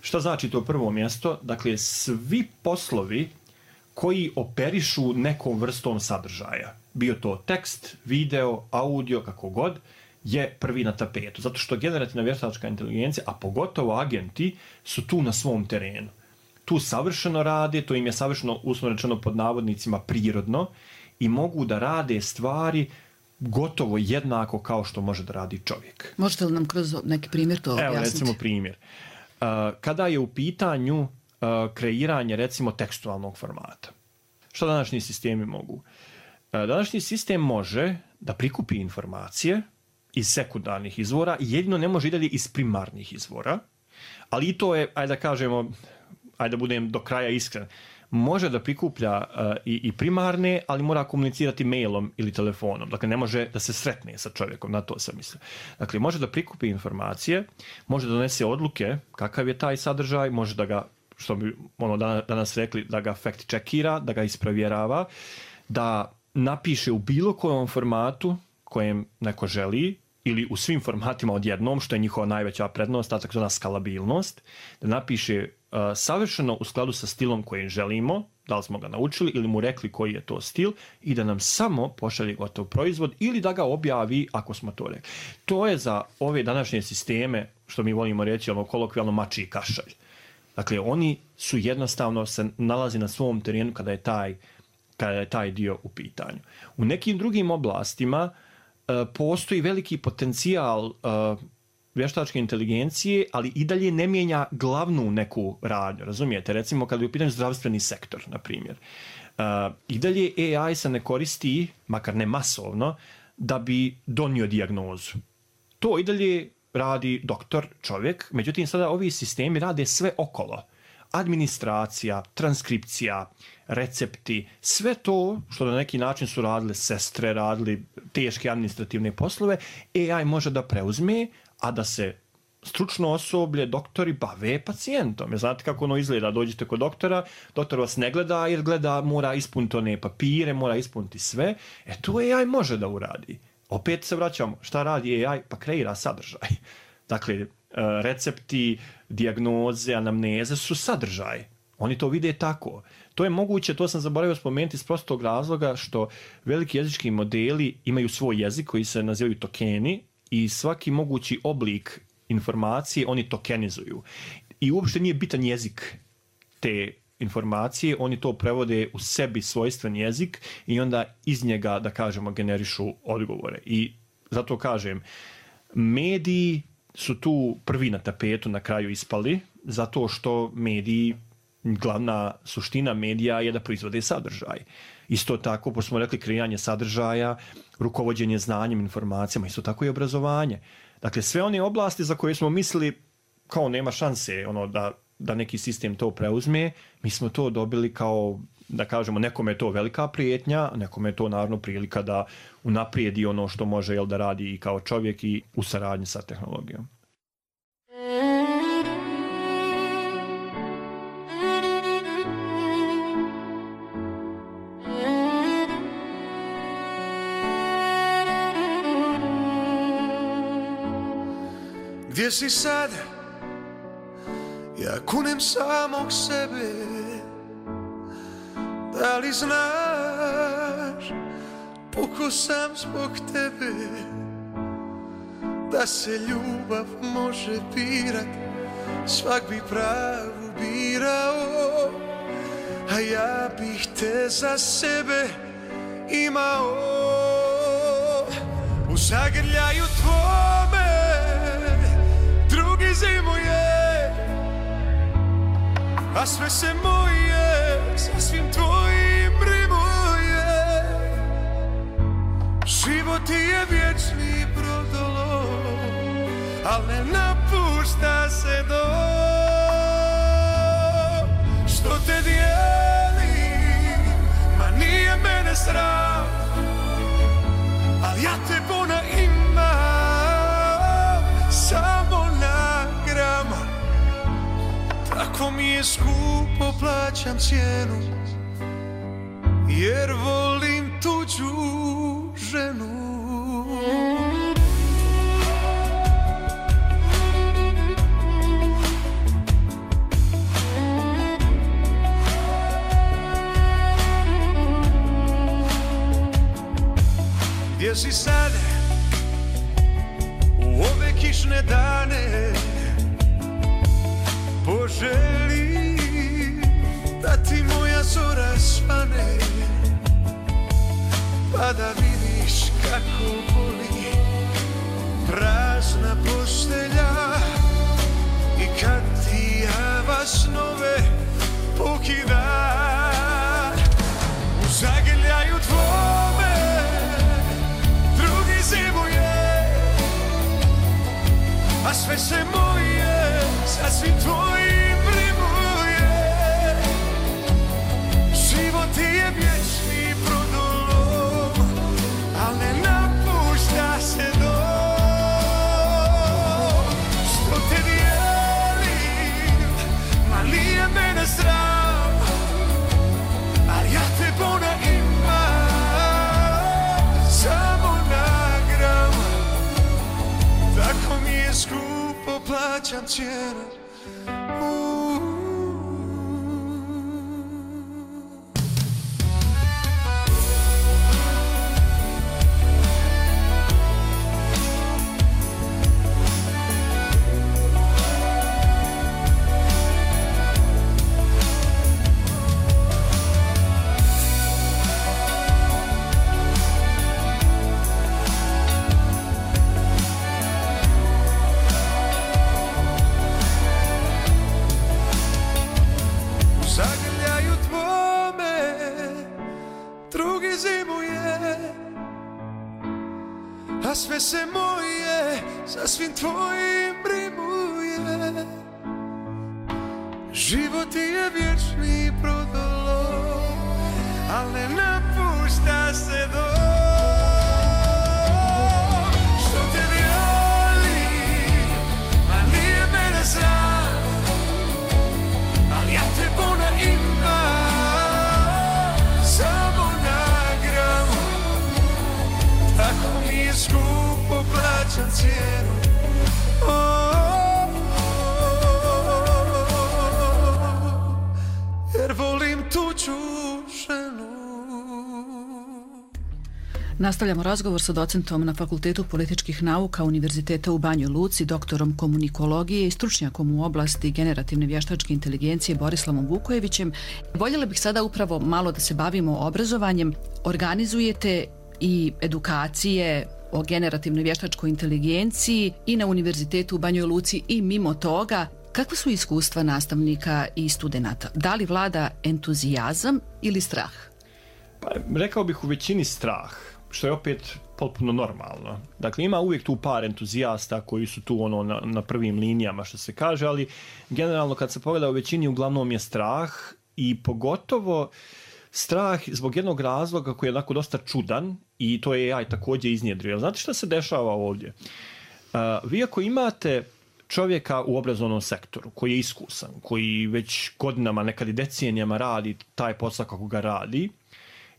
[SPEAKER 4] Šta znači to prvo mjesto? Dakle, svi poslovi koji operišu nekom vrstom sadržaja, bio to tekst, video, audio, kako god, je prvi na tapetu. Zato što generativna vještačka inteligencija, a pogotovo agenti, su tu na svom terenu. Tu savršeno rade, to im je savršeno, uslovno rečeno pod navodnicima, prirodno i mogu da rade stvari gotovo jednako kao što može da radi čovjek.
[SPEAKER 3] Možete li nam kroz neki primjer to objasniti?
[SPEAKER 4] Evo, recimo primjer. Kada je u pitanju kreiranje, recimo, tekstualnog formata. Što današnji sistemi mogu? Današnji sistem može da prikupi informacije iz sekundarnih izvora, jedino ne može i dalje iz primarnih izvora, ali i to je, ajde da kažemo, ajde da budem do kraja iskren, može da prikuplja uh, i, i primarne, ali mora komunicirati mailom ili telefonom. Dakle, ne može da se sretne sa čovjekom, na to sam mislio. Dakle, može da prikupi informacije, može da donese odluke kakav je taj sadržaj, može da ga, što bi ono danas rekli, da ga fact checkira, da ga isprovjerava, da napiše u bilo kojom formatu kojem neko želi ili u svim formatima odjednom, što je njihova najveća prednost, ta takozvana skalabilnost, da napiše uh, savršeno u skladu sa stilom kojim želimo, da li smo ga naučili ili mu rekli koji je to stil i da nam samo pošalje gotov proizvod ili da ga objavi ako smo to rekli. To je za ove današnje sisteme, što mi volimo reći, ono kolokvijalno mačji kašalj. Dakle, oni su jednostavno se nalazi na svom terenu kada je taj, kada je taj dio u pitanju. U nekim drugim oblastima uh, postoji veliki potencijal uh, vještačke inteligencije, ali i dalje ne mijenja glavnu neku radnju, razumijete? Recimo, kada je u pitanju zdravstveni sektor, na primjer. Uh, I dalje A I se ne koristi, makar ne masovno, da bi donio dijagnozu. To i dalje radi doktor, čovjek, međutim sada ovi sistemi rade sve okolo. Administracija, transkripcija, recepti, sve to što na neki način su radile sestre, radili teške administrativne poslove, A I može da preuzme, a da se stručno osoblje, doktori bave pacijentom. Jer znate kako ono izgleda, dođete kod doktora, doktor vas ne gleda jer gleda, mora ispuniti one papire, mora ispuniti sve, e to A I može da uradi. Opet se vraćamo, šta radi A I? Pa kreira sadržaj. Dakle, recepti, dijagnoze, anamneze su sadržaj. Oni to vide tako. To je moguće, to sam zaboravio spomenuti iz prostog razloga što veliki jezički modeli imaju svoj jezik koji se nazivaju tokeni i svaki mogući oblik informacije oni tokenizuju. I uopšte nije bitan jezik te informacije, oni to prevode u sebi svojstven jezik i onda iz njega, da kažemo, generišu odgovore. I zato kažem, mediji su tu prvi na tapetu na kraju ispali, zato što mediji, glavna suština medija je da proizvode sadržaj. Isto tako, pošto smo rekli, kreiranje sadržaja, rukovođenje znanjem, informacijama, isto tako i obrazovanje. Dakle, sve one oblasti za koje smo mislili kao nema šanse ono, da, da neki sistem to preuzme, mi smo to dobili kao, da kažemo, nekome je to velika prijetnja, nekome je to naravno prilika da unaprijedi ono što može jel, da radi i kao čovjek i u saradnji sa tehnologijom.
[SPEAKER 5] Gdje si sad? Ja kunem samog sebe. Da li znaš, puko sam zbog tebe. Da se ljubav može birat, svak bi pravu birao. A ja bih te za sebe imao. U zagrljaju tvome drugi zimuje, a sve se moje sasvim tvojim rimuje. Život ti je vječni brodolov, al ne napušta se dok. Što te dijeli, ma nije mene sram, al ja te bona imam, samo na grama. Tako mi je skupo, plaćam cijenu, jer volim tuđu ženu. Gdje si sad u ove kišne dane? Poželi da ti moja zora svane, pa da vidiš kako boli prazna postelja i kad ti java snove pokida. U zagrljaju tvome drugi zimuje, a sve se moje sasvim tvojim rimuje. Život ti je vječni brodolov, al ne napušta se dok. Što te dijelim, ma nije mene sram, al ja te bona imam, samo na gram. plaćam cijenu. A sve se moje sa svim tvojim rimuje. Život je vječni prodolom, al ne napušta se dom. Što te vjoli, a nije mene sram, al ja te bona imam, samo na gram. Tako mi je skupo plaćam cijenu. Oh, oh, oh, jer volim tuđu ženu.
[SPEAKER 3] Nastavljamo razgovor sa docentom na Fakultetu političkih nauka Univerziteta u Banjoj Luci, doktorom komunikologije i stručnjakom u oblasti generativne vještačke inteligencije Borislavom Vukojevićem. Voljela bih sada upravo malo da se bavimo obrazovanjem. Organizujete i edukacije o generativnoj vještačkoj inteligenciji i na Univerzitetu u Banjoj Luci i mimo toga. Kakva su iskustva nastavnika i studenata? Da li vlada entuzijazam ili strah?
[SPEAKER 4] Pa, rekao bih u većini strah, što je opet potpuno normalno. Dakle, ima uvijek tu par entuzijasta koji su tu ono na, na prvim linijama, što se kaže, ali generalno kad se pogleda u većini uglavnom je strah i pogotovo strah zbog jednog razloga koji je onako dosta čudan i to je A I također iznjedrio. Znate šta se dešava ovdje? Uh, vi ako imate čovjeka u obrazovnom sektoru koji je iskusan, koji već godinama, nekad i decenijama radi taj posao kako ga radi,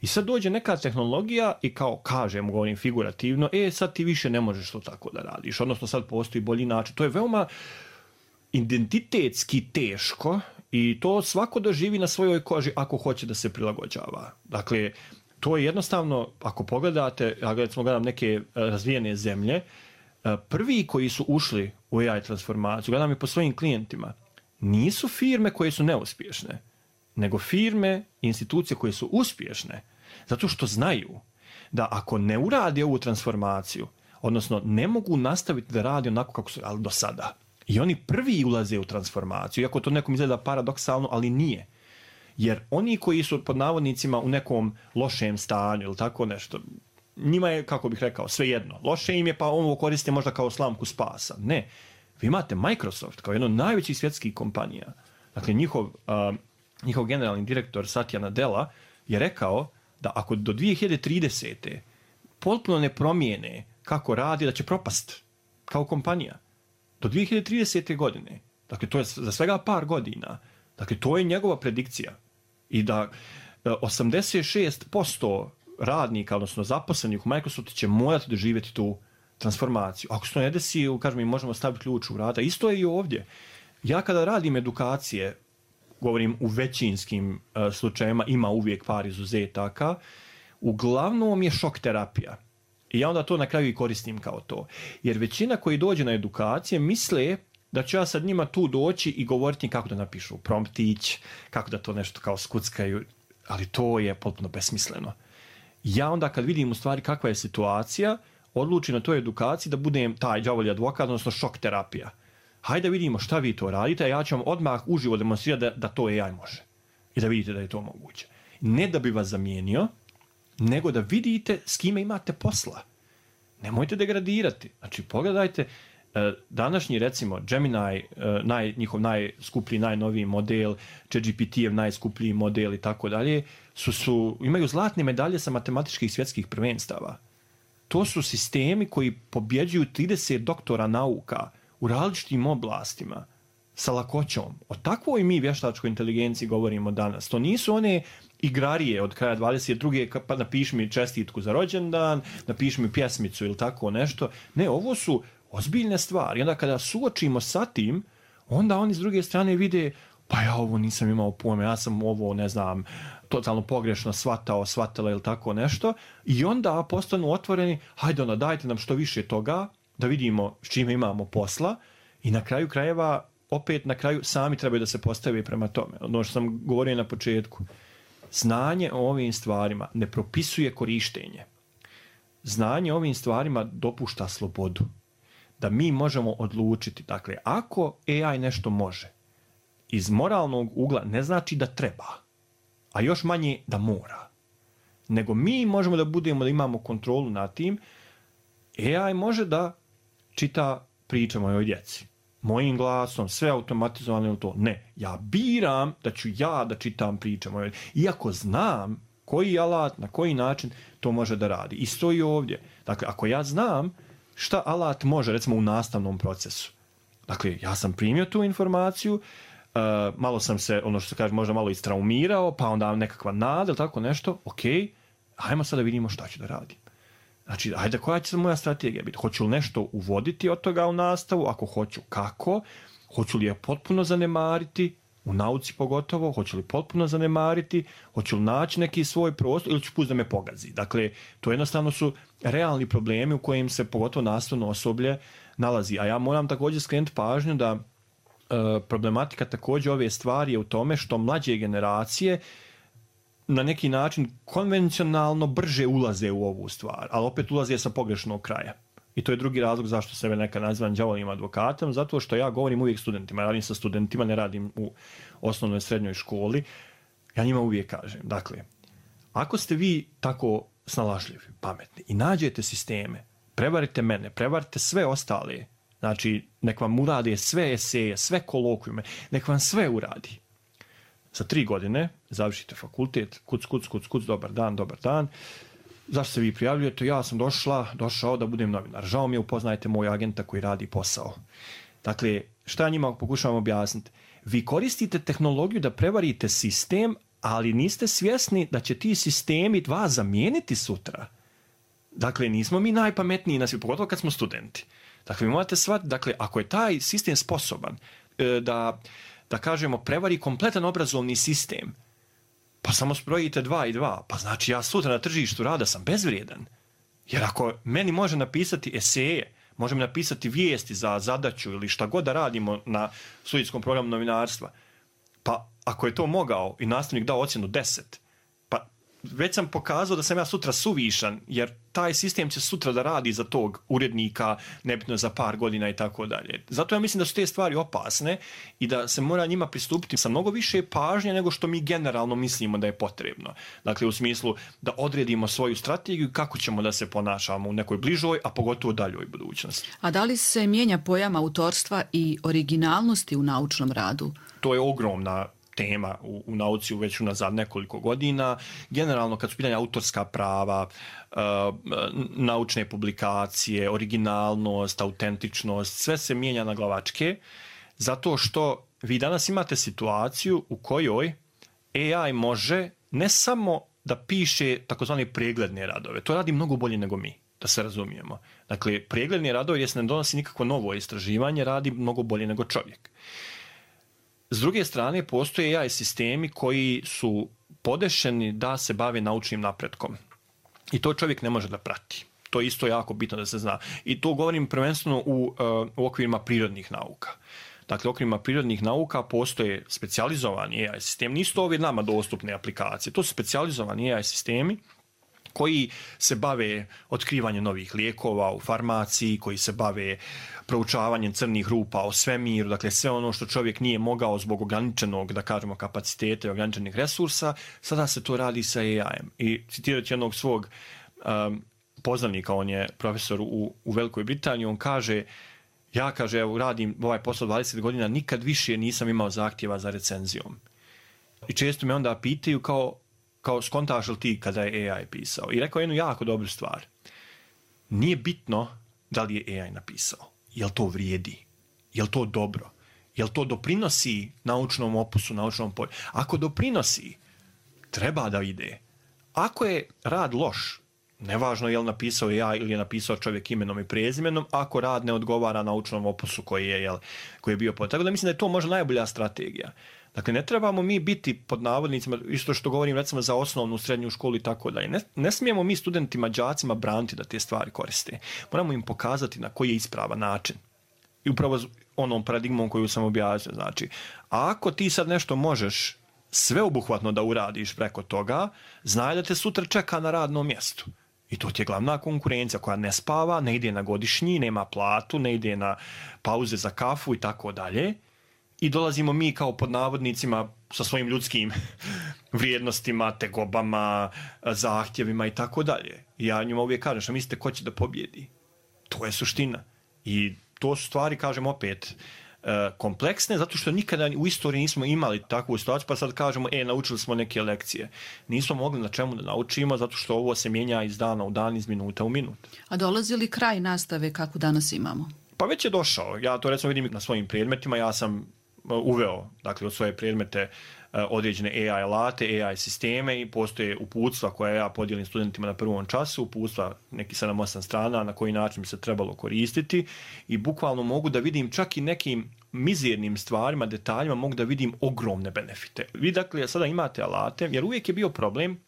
[SPEAKER 4] i sad dođe neka tehnologija i kao kažem, govorim figurativno, e sad ti više ne možeš to tako da radiš, odnosno sad postoji bolji način. To je veoma identitetski teško i to svako doživi na svojoj koži ako hoće da se prilagođava. Dakle, to je jednostavno, ako pogledate, ja recimo gledam neke razvijene zemlje, prvi koji su ušli u A I transformaciju, gledam i po svojim klijentima, nisu firme koje su neuspješne, nego firme i institucije koje su uspješne, zato što znaju da ako ne uradi ovu transformaciju, odnosno ne mogu nastaviti da radi onako kako su ali do sada. I oni prvi ulaze u transformaciju, iako to nekom izgleda paradoksalno, ali nije. Jer oni koji su pod navodnicima u nekom lošem stanju ili tako nešto, njima je, kako bih rekao, svejedno. Loše im je pa ovo koriste možda kao slamku spasa. Ne. Vi imate Microsoft kao jedno od najvećih svjetskih kompanija. Dakle, njihov, uh, njihov generalni direktor Satya Nadella je rekao da ako do dvije hiljade tridesete potpuno ne promijene kako radi, da će propast kao kompanija. Do dvije hiljade tridesete godine. Dakle, to je za svega par godina. Dakle, to je njegova predikcija. I da osamdeset šest posto radnika, odnosno zaposlenih u Microsoftu će morati doživjeti tu transformaciju. Ako se to ne desi, kažem, mi možemo staviti ključ u vrata. Isto je i ovdje. Ja kada radim edukacije, govorim u većinskim uh, slučajima, ima uvijek par izuzetaka, uglavnom je šok terapija. I ja onda to na kraju i koristim kao to. Jer većina koji dođe na edukacije misle da ću ja sad njima tu doći i govoriti kako da napišu promptić, kako da to nešto kao skuckaju, ali to je potpuno besmisleno. Ja onda kad vidim u stvari kakva je situacija, odlučim na toj edukaciji da budem taj đavolji advokat, odnosno šok terapija. Hajde da vidimo šta vi to radite, a ja ću vam odmah uživo demonstrirati da, da to A I može. I da vidite da je to moguće. Ne da bi vas zamijenio, nego da vidite s kime imate posla. Nemojte degradirati. Znači, pogledajte, današnji, recimo, Gemini, naj, njihov najskuplji, najnoviji model, ChatGPT-ev najskuplji model i tako dalje, su, su, imaju zlatne medalje sa matematičkih svjetskih prvenstava. To su sistemi koji pobjeđuju trideset doktora nauka u različitim oblastima sa lakoćom. O takvoj mi vještačkoj inteligenciji govorimo danas. To nisu one igrarije od kraja dvadeset druge pa napiši mi čestitku za rođendan, napiši mi pjesmicu ili tako nešto. Ne, ovo su ozbiljne stvari. I onda kada suočimo sa tim, onda oni s druge strane vide, pa ja ovo nisam imao pojma, ja sam ovo, ne znam, totalno pogrešno shvatao, shvatila ili tako nešto. I onda postanu otvoreni, hajde onda dajte nam što više toga, da vidimo s čime imamo posla. I na kraju krajeva, opet na kraju, sami trebaju da se postave prema tome. Ono što sam govorio na početku. Znanje o ovim stvarima ne propisuje korištenje. Znanje o ovim stvarima dopušta slobodu. Da mi možemo odlučiti. Dakle, ako A I nešto može, iz moralnog ugla ne znači da treba, a još manje da mora. Nego mi možemo da budemo, da imamo kontrolu nad tim. A I može da čita priče mojoj djeci. Mojim glasom, sve automatizovano ili to. Ne, ja biram da ću ja da čitam priče mojoj djeci. Iako znam koji alat, na koji način to može da radi. I stoji ovdje. Dakle, ako ja znam šta alat može, recimo u nastavnom procesu. Dakle, ja sam primio tu informaciju, uh, malo sam se, ono što se kaže, možda malo istraumirao, pa onda nekakva nada ili tako nešto, ok, ajmo sad da vidimo šta ću da radim. Znači, ajde, koja će moja strategija biti? Hoću li nešto uvoditi od toga u nastavu? Ako hoću, kako? Hoću li je potpuno zanemariti? U nauci pogotovo, hoću li potpuno zanemariti? Hoću li naći neki svoj prostor ili ću pustiti da me pogazi? Dakle, to jednostavno su realni problemi u kojim se pogotovo nastavno osoblje nalazi. A ja moram također skrenuti pažnju da e, problematika također ove stvari je u tome što mlađe generacije na neki način konvencionalno brže ulaze u ovu stvar, ali opet ulaze sa pogrešnog kraja. I to je drugi razlog zašto sebe neka nazivam đavolim advokatom, zato što ja govorim uvijek studentima, radim sa studentima, ne radim u osnovnoj srednjoj školi, ja njima uvijek kažem, dakle, ako ste vi tako snalažljivi, pametni i nađete sisteme, prevarite mene, prevarite sve ostale, znači nek vam urade sve eseje, sve kolokvijume, nek vam sve uradi. Za tri godine završite fakultet, kuc, kuc, kuc, kuc, dobar dan, dobar dan. Zašto se vi prijavljujete? Ja sam došla, došao da budem novinar. Žao mi je, upoznajte moj agenta koji radi posao. Dakle, šta njima pokušavam objasniti? Vi koristite tehnologiju da prevarite sistem, ali niste svjesni da će ti sistemi vas zamijeniti sutra. Dakle, nismo mi najpametniji na svijetu, pogotovo kad smo studenti. Dakle, vi morate shvatiti, dakle, ako je taj sistem sposoban da, da kažemo, prevari kompletan obrazovni sistem, pa samo sprojite dva i dva, pa znači ja sutra na tržištu rada sam bezvrijedan. Jer ako meni može napisati eseje, može mi napisati vijesti za zadaću ili šta god da radimo na studijskom programu novinarstva, pa ako je to mogao i nastavnik dao ocjenu deset, pa već sam pokazao da sam ja sutra suvišan, jer taj sistem će sutra da radi za tog urednika, nebitno za par godina i tako dalje. Zato ja mislim da su te stvari opasne i da se mora njima pristupiti sa mnogo više pažnje nego što mi generalno mislimo da je potrebno. Dakle, u smislu da odredimo svoju strategiju kako ćemo da se ponašamo u nekoj bližoj, a pogotovo daljoj budućnosti.
[SPEAKER 3] A da li se mijenja pojam autorstva i originalnosti u naučnom radu?
[SPEAKER 4] To je ogromna tema u, u nauci već unazad nekoliko godina. Generalno, kad su pitanja autorska prava, uh, naučne publikacije, originalnost, autentičnost, sve se mijenja na glavačke, zato što vi danas imate situaciju u kojoj A I može ne samo da piše takozvane pregledne radove, to radi mnogo bolje nego mi, da se razumijemo. Dakle, pregledni radovi, jer se ne donosi nikakvo novo istraživanje, radi mnogo bolje nego čovjek. S druge strane, postoje A I sistemi koji su podešeni da se bave naučnim napretkom. I to čovjek ne može da prati. To je isto jako bitno da se zna. I to govorim prvenstveno u, u okvirima prirodnih nauka. Dakle, u okvirima prirodnih nauka postoje specijalizovani A I sistemi. Nisu to ove nama dostupne aplikacije. To su specijalizovani A I sistemi koji se bave otkrivanjem novih lijekova u farmaciji, koji se bave proučavanjem crnih rupa u svemiru, dakle sve ono što čovjek nije mogao zbog ograničenog, da kažemo, kapaciteta i ograničenih resursa, sada se to radi sa A I-em. I citirati jednog svog um, poznanika, on je profesor u, u Velikoj Britaniji, on kaže, ja kaže, evo, radim ovaj posao dvadeset godina, nikad više nisam imao zahtjeva za recenzijom. I često me onda pitaju kao, kao skontaš li ti kada je A I pisao? I rekao jednu jako dobru stvar. Nije bitno da li je A I napisao. Jel to vrijedi? Jel to dobro? Jel to doprinosi naučnom opusu, naučnom polju? Ako doprinosi, treba da ide. Ako je rad loš, Nevažno je li napisao ja ili je napisao čovjek imenom i prezimenom, ako rad ne odgovara naučnom opusu koji je, jel, koji je bio pod. Tako da mislim da je to možda najbolja strategija. Dakle, ne trebamo mi biti pod navodnicima, isto što govorim recimo za osnovnu, srednju školu i tako dalje. Ne, ne smijemo mi studentima, đacima braniti da te stvari koriste. Moramo im pokazati na koji je ispravan način. I upravo onom paradigmom koju sam objasnio. Znači, ako ti sad nešto možeš sveobuhvatno da uradiš preko toga, znaj da te sutra čeka na radnom mjestu. I to ti je glavna konkurencija koja ne spava, ne ide na godišnji, nema platu, ne ide na pauze za kafu i tako dalje. I dolazimo mi kao pod navodnicima sa svojim ljudskim vrijednostima, tegobama, zahtjevima i tako dalje. I ja njima uvijek kažem, što mislite ko će da pobjedi? To je suština. I to su stvari, kažem opet, kompleksne, zato što nikada u istoriji nismo imali takvu situaciju, pa sad kažemo, e, naučili smo neke lekcije. Nismo mogli na čemu da naučimo, zato što ovo se mijenja iz dana u dan, iz minuta u minut.
[SPEAKER 3] A dolazi li kraj nastave kako danas imamo?
[SPEAKER 4] Pa već je došao. Ja to recimo vidim na svojim predmetima. Ja sam uveo, dakle, od svoje predmete određene A I alate, A I sisteme i postoje uputstva koje ja podijelim studentima na prvom času, uputstva neki sedam osam strana na koji način bi se trebalo koristiti i bukvalno mogu da vidim čak i nekim mizernim stvarima, detaljima, mogu da vidim ogromne benefite. Vi dakle sada imate alate, jer uvijek je bio problem,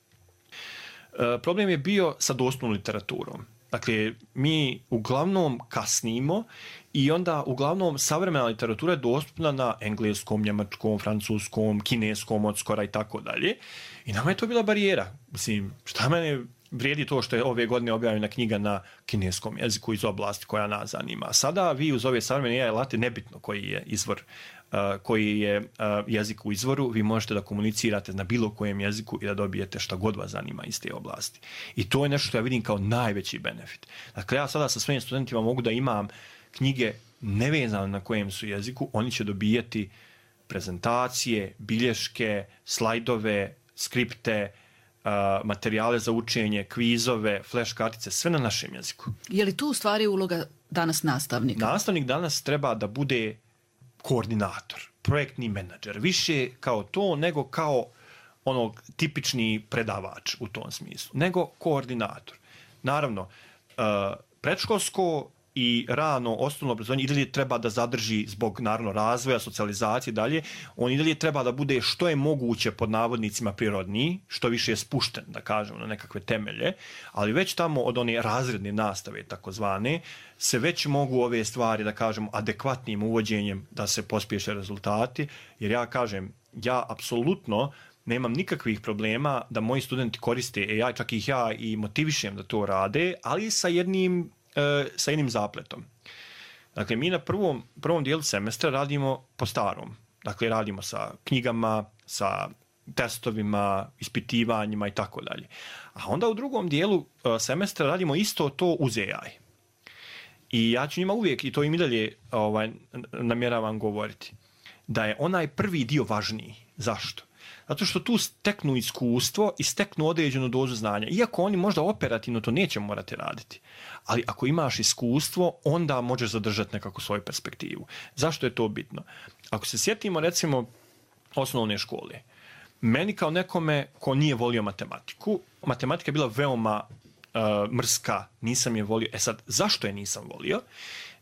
[SPEAKER 4] problem je bio sa dostupnom literaturom. Dakle, mi uglavnom kasnimo i onda uglavnom savremena literatura je dostupna na engleskom, njemačkom, francuskom, kineskom od skora i tako dalje. I nama je to bila barijera. Mislim, šta mene vrijedi to što je ove godine objavljena knjiga na kineskom jeziku iz oblasti koja nas zanima. Sada vi uz ove savremene A I alate, nebitno koji je izvor, uh, koji je uh, jezik u izvoru, vi možete da komunicirate na bilo kojem jeziku i da dobijete šta god vas zanima iz te oblasti. I to je nešto što ja vidim kao najveći benefit. Dakle, ja sada sa svojim studentima mogu da imam knjige nevezane na kojem su jeziku, oni će dobijati prezentacije, bilješke, slajdove, skripte, Uh, materijale za učenje, kvizove, flash kartice, sve na našem jeziku.
[SPEAKER 3] Je li tu u stvari uloga danas nastavnika?
[SPEAKER 4] Nastavnik danas treba da bude koordinator, projektni menadžer, više kao to nego kao onog tipični predavač u tom smislu, nego koordinator. Naravno, uh, predškolsko i rano osnovno obrazovanje i dalje treba da zadrži zbog naravno razvoja, socijalizacije dalje, on i dalje treba da bude što je moguće pod navodnicima prirodniji, što više je spušten, da kažemo, na nekakve temelje, ali već tamo od one razredne nastave, takozvane, se već mogu ove stvari, da kažemo, adekvatnim uvođenjem da se pospješe rezultati, jer ja kažem, ja apsolutno nemam nikakvih problema da moji studenti koriste A I, čak ih ja i motivišem da to rade, ali sa jednim sa jednim zapletom. Dakle, mi na prvom, prvom dijelu semestra radimo po starom. Dakle, radimo sa knjigama, sa testovima, ispitivanjima i tako dalje. A onda u drugom dijelu semestra radimo isto to uz A I. I ja ću njima uvijek, i to im i dalje ovaj, namjeravam govoriti, da je onaj prvi dio važniji. Zašto? Zato što tu steknu iskustvo i steknu određenu dozu znanja. Iako oni možda operativno to neće morati raditi. Ali ako imaš iskustvo, onda možeš zadržati nekako svoju perspektivu. Zašto je to bitno? Ako se sjetimo, recimo, osnovne škole. Meni kao nekome ko nije volio matematiku, matematika je bila veoma uh, mrska, nisam je volio. E sad, zašto je nisam volio?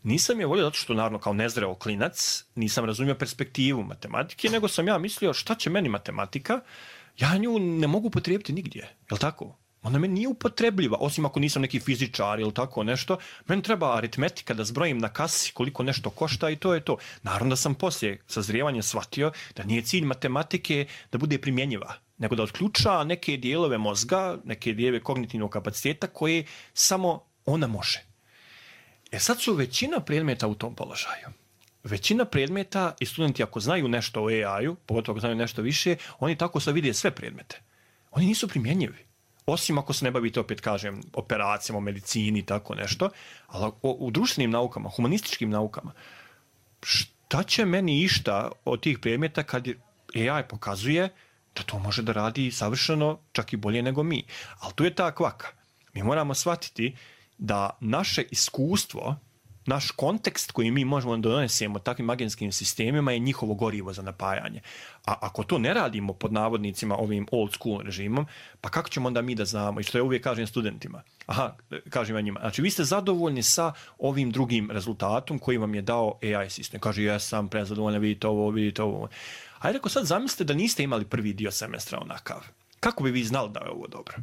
[SPEAKER 4] Nisam je volio zato što, naravno, kao nezreo klinac, nisam razumio perspektivu matematike, nego sam ja mislio šta će meni matematika, ja nju ne mogu upotrijebiti nigdje, je li tako? Ona meni nije upotrebljiva, osim ako nisam neki fizičar ili tako nešto. Meni treba aritmetika da zbrojim na kasi koliko nešto košta i to je to. Naravno da sam poslije sazrijevanja shvatio da nije cilj matematike da bude primjenjiva, nego da otključa neke dijelove mozga, neke dijelove kognitivnog kapaciteta koje samo ona može. E sad su većina predmeta u tom položaju. Većina predmeta i studenti ako znaju nešto o A I-u, pogotovo ako znaju nešto više, oni tako sad vide sve predmete. Oni nisu primjenjivi. Osim ako se ne bavite, opet kažem, operacijama, o medicini i tako nešto, ali u društvenim naukama, humanističkim naukama, šta će meni išta od tih predmeta kad A I pokazuje da to može da radi savršeno, čak i bolje nego mi. Ali tu je ta kvaka. Mi moramo shvatiti da naše iskustvo Naš kontekst koji mi možemo da donesemo takvim agenskim sistemima je njihovo gorivo za napajanje. A ako to ne radimo pod navodnicima ovim old school režimom, pa kako ćemo onda mi da znamo? I što ja uvijek kažem studentima. Aha, kažem ja njima. Znači, vi ste zadovoljni sa ovim drugim rezultatom koji vam je dao A I sistem. Kaže, ja sam prezadovoljan, vidite ovo, vidite ovo. Ajde, ako sad zamislite da niste imali prvi dio semestra onakav. Kako bi vi znali da je ovo dobro?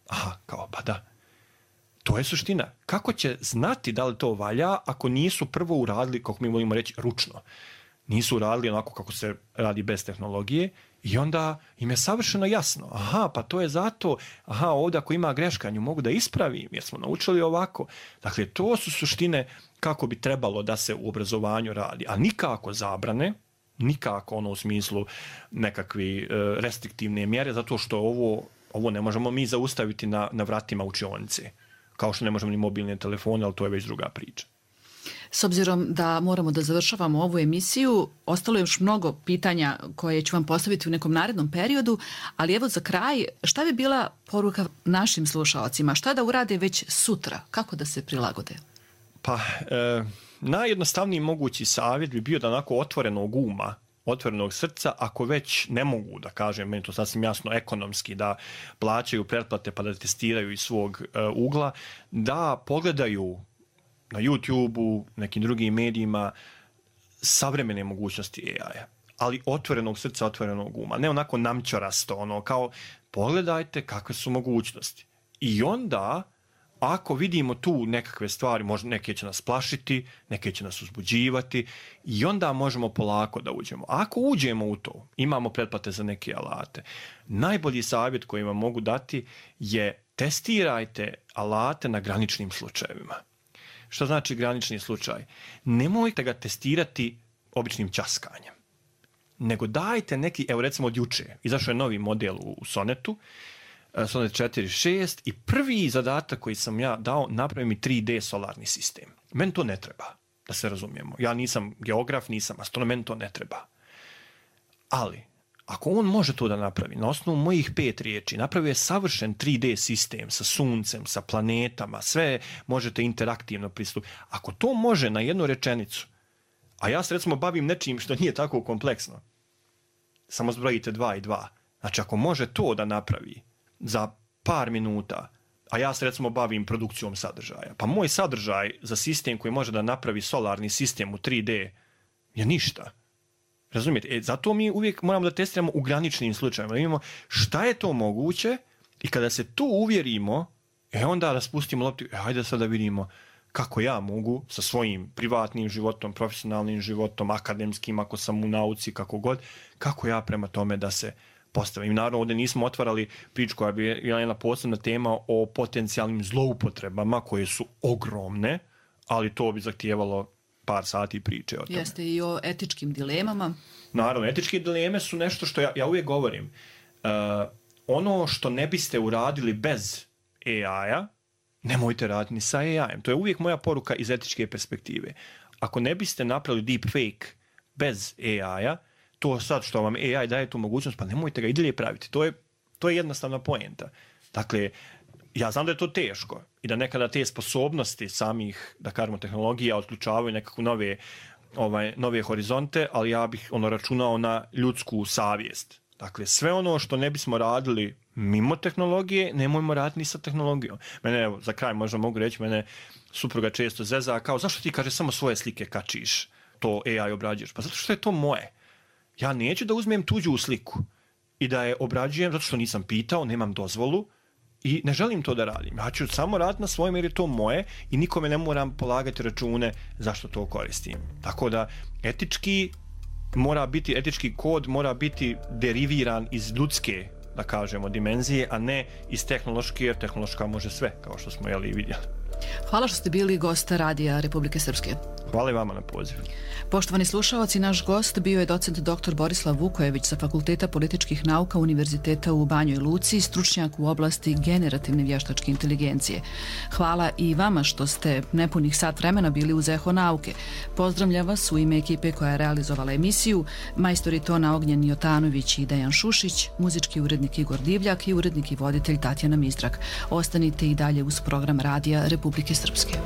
[SPEAKER 4] Aha, kao, pa da. To je suština. Kako će znati da li to valja ako nisu prvo uradili, kako mi volimo reći, ručno? Nisu uradili onako kako se radi bez tehnologije i onda im je savršeno jasno. Aha, pa to je zato, aha, ovdje ako ima greška, nju mogu da ispravim jer smo naučili ovako. Dakle, to su suštine kako bi trebalo da se u obrazovanju radi. A nikako zabrane, nikako ono u smislu nekakvi restriktivne mjere, zato što ovo, ovo ne možemo mi zaustaviti na, na vratima učionice. Kao što ne možemo ni mobilne telefone, ali to je već druga priča.
[SPEAKER 3] S obzirom da moramo da završavamo ovu emisiju, ostalo je još mnogo pitanja koje ću vam postaviti u nekom narednom periodu, ali evo za kraj, šta bi bila poruka našim slušalcima? Šta da urade već sutra? Kako da se prilagode?
[SPEAKER 4] Pa, e, najjednostavniji mogući savjet bi bio da onako otvorenog uma, otvorenog srca, ako već ne mogu, da kažem, meni to sasvim jasno, ekonomski, da plaćaju pretplate pa da testiraju iz svog e, ugla, da pogledaju na YouTube-u, nekim drugim medijima, savremene mogućnosti A I-a, ali otvorenog srca, otvorenog uma. Ne onako namćorasto, ono, kao pogledajte kakve su mogućnosti. I onda, ako vidimo tu nekakve stvari, možda neke će nas plašiti, neke će nas uzbuđivati i onda možemo polako da uđemo. Ako uđemo u to, imamo pretplate za neke alate. Najbolji savjet koji vam mogu dati je testirajte alate na graničnim slučajevima. Što znači granični slučaj? Nemojte ga testirati običnim ćaskanjem, nego dajte neki, evo recimo od juče, izašao je novi model u Sonetu, Sonet četiri šest i prvi zadatak koji sam ja dao, napravi mi tri D solarni sistem. Meni to ne treba, da se razumijemo. Ja nisam geograf, nisam astronom, meni to ne treba. Ali, ako on može to da napravi, na osnovu mojih pet riječi, napravio je savršen tri D sistem sa suncem, sa planetama, sve možete interaktivno pristupiti. Ako to može na jednu rečenicu, a ja se recimo bavim nečim što nije tako kompleksno, samo zbrojite dva i dva. Znači, ako može to da napravi za par minuta, a ja se recimo bavim produkcijom sadržaja, pa moj sadržaj za sistem koji može da napravi solarni sistem u tri D je ništa. Razumijete? E, zato mi uvijek moramo da testiramo u graničnim slučajima. Da vidimo šta je to moguće i kada se tu uvjerimo, e onda da spustimo loptu, e, hajde sad da vidimo kako ja mogu sa svojim privatnim životom, profesionalnim životom, akademskim, ako sam u nauci, kako god, kako ja prema tome da se postavim. Naravno, ovdje nismo otvarali priču koja bi bila jedna posebna tema o potencijalnim zloupotrebama koje su ogromne, ali to bi zahtijevalo par sati priče o tome.
[SPEAKER 3] Jeste i o etičkim dilemama.
[SPEAKER 4] Naravno, etičke dileme su nešto što ja, ja uvijek govorim. Uh, ono što ne biste uradili bez A I-a, nemojte raditi ni sa A I-em. To je uvijek moja poruka iz etičke perspektive. Ako ne biste napravili deepfake bez A I-a, to sad što vam A I daje tu mogućnost, pa nemojte ga i dalje praviti. To je, to je jednostavna poenta. Dakle, ja znam da je to teško i da nekada te sposobnosti samih, da kažemo, tehnologija otključavaju nekakve nove, ovaj, nove horizonte, ali ja bih ono računao na ljudsku savjest. Dakle, sve ono što ne bismo radili mimo tehnologije, nemojmo raditi ni sa tehnologijom. Mene, evo, za kraj možda mogu reći, mene supruga često zeza, kao, zašto ti, kaže, samo svoje slike kačiš, to A I obrađuješ? Pa zato što je to moje. Ja neću da uzmem tuđu sliku i da je obrađujem zato što nisam pitao, nemam dozvolu i ne želim to da radim. Ja ću samo raditi na svojem jer je to moje i nikome ne moram polagati račune zašto to koristim. Tako da etički mora biti, etički kod mora biti deriviran iz ljudske, da kažemo, dimenzije, a ne iz tehnološke, jer tehnološka može sve, kao što smo jeli i vidjeli.
[SPEAKER 3] Hvala što ste bili gost Radija Republike Srpske.
[SPEAKER 4] Hvala i vama na pozivu.
[SPEAKER 3] Poštovani slušaoci, naš gost bio je docent doktor Borislav Vukojević sa Fakulteta političkih nauka Univerziteta u Banjoj Luci, stručnjak u oblasti generativne vještačke inteligencije. Hvala i vama što ste nepunih sat vremena bili uz Eho nauke. Pozdravljam vas u ime ekipe koja je realizovala emisiju, majstori tona Ognjen Jotanović i Dejan Šušić, muzički urednik Igor Divljak i urednik i voditelj Tatjana Mistrak. Ostanite i dalje uz program Radija Republike Srpske.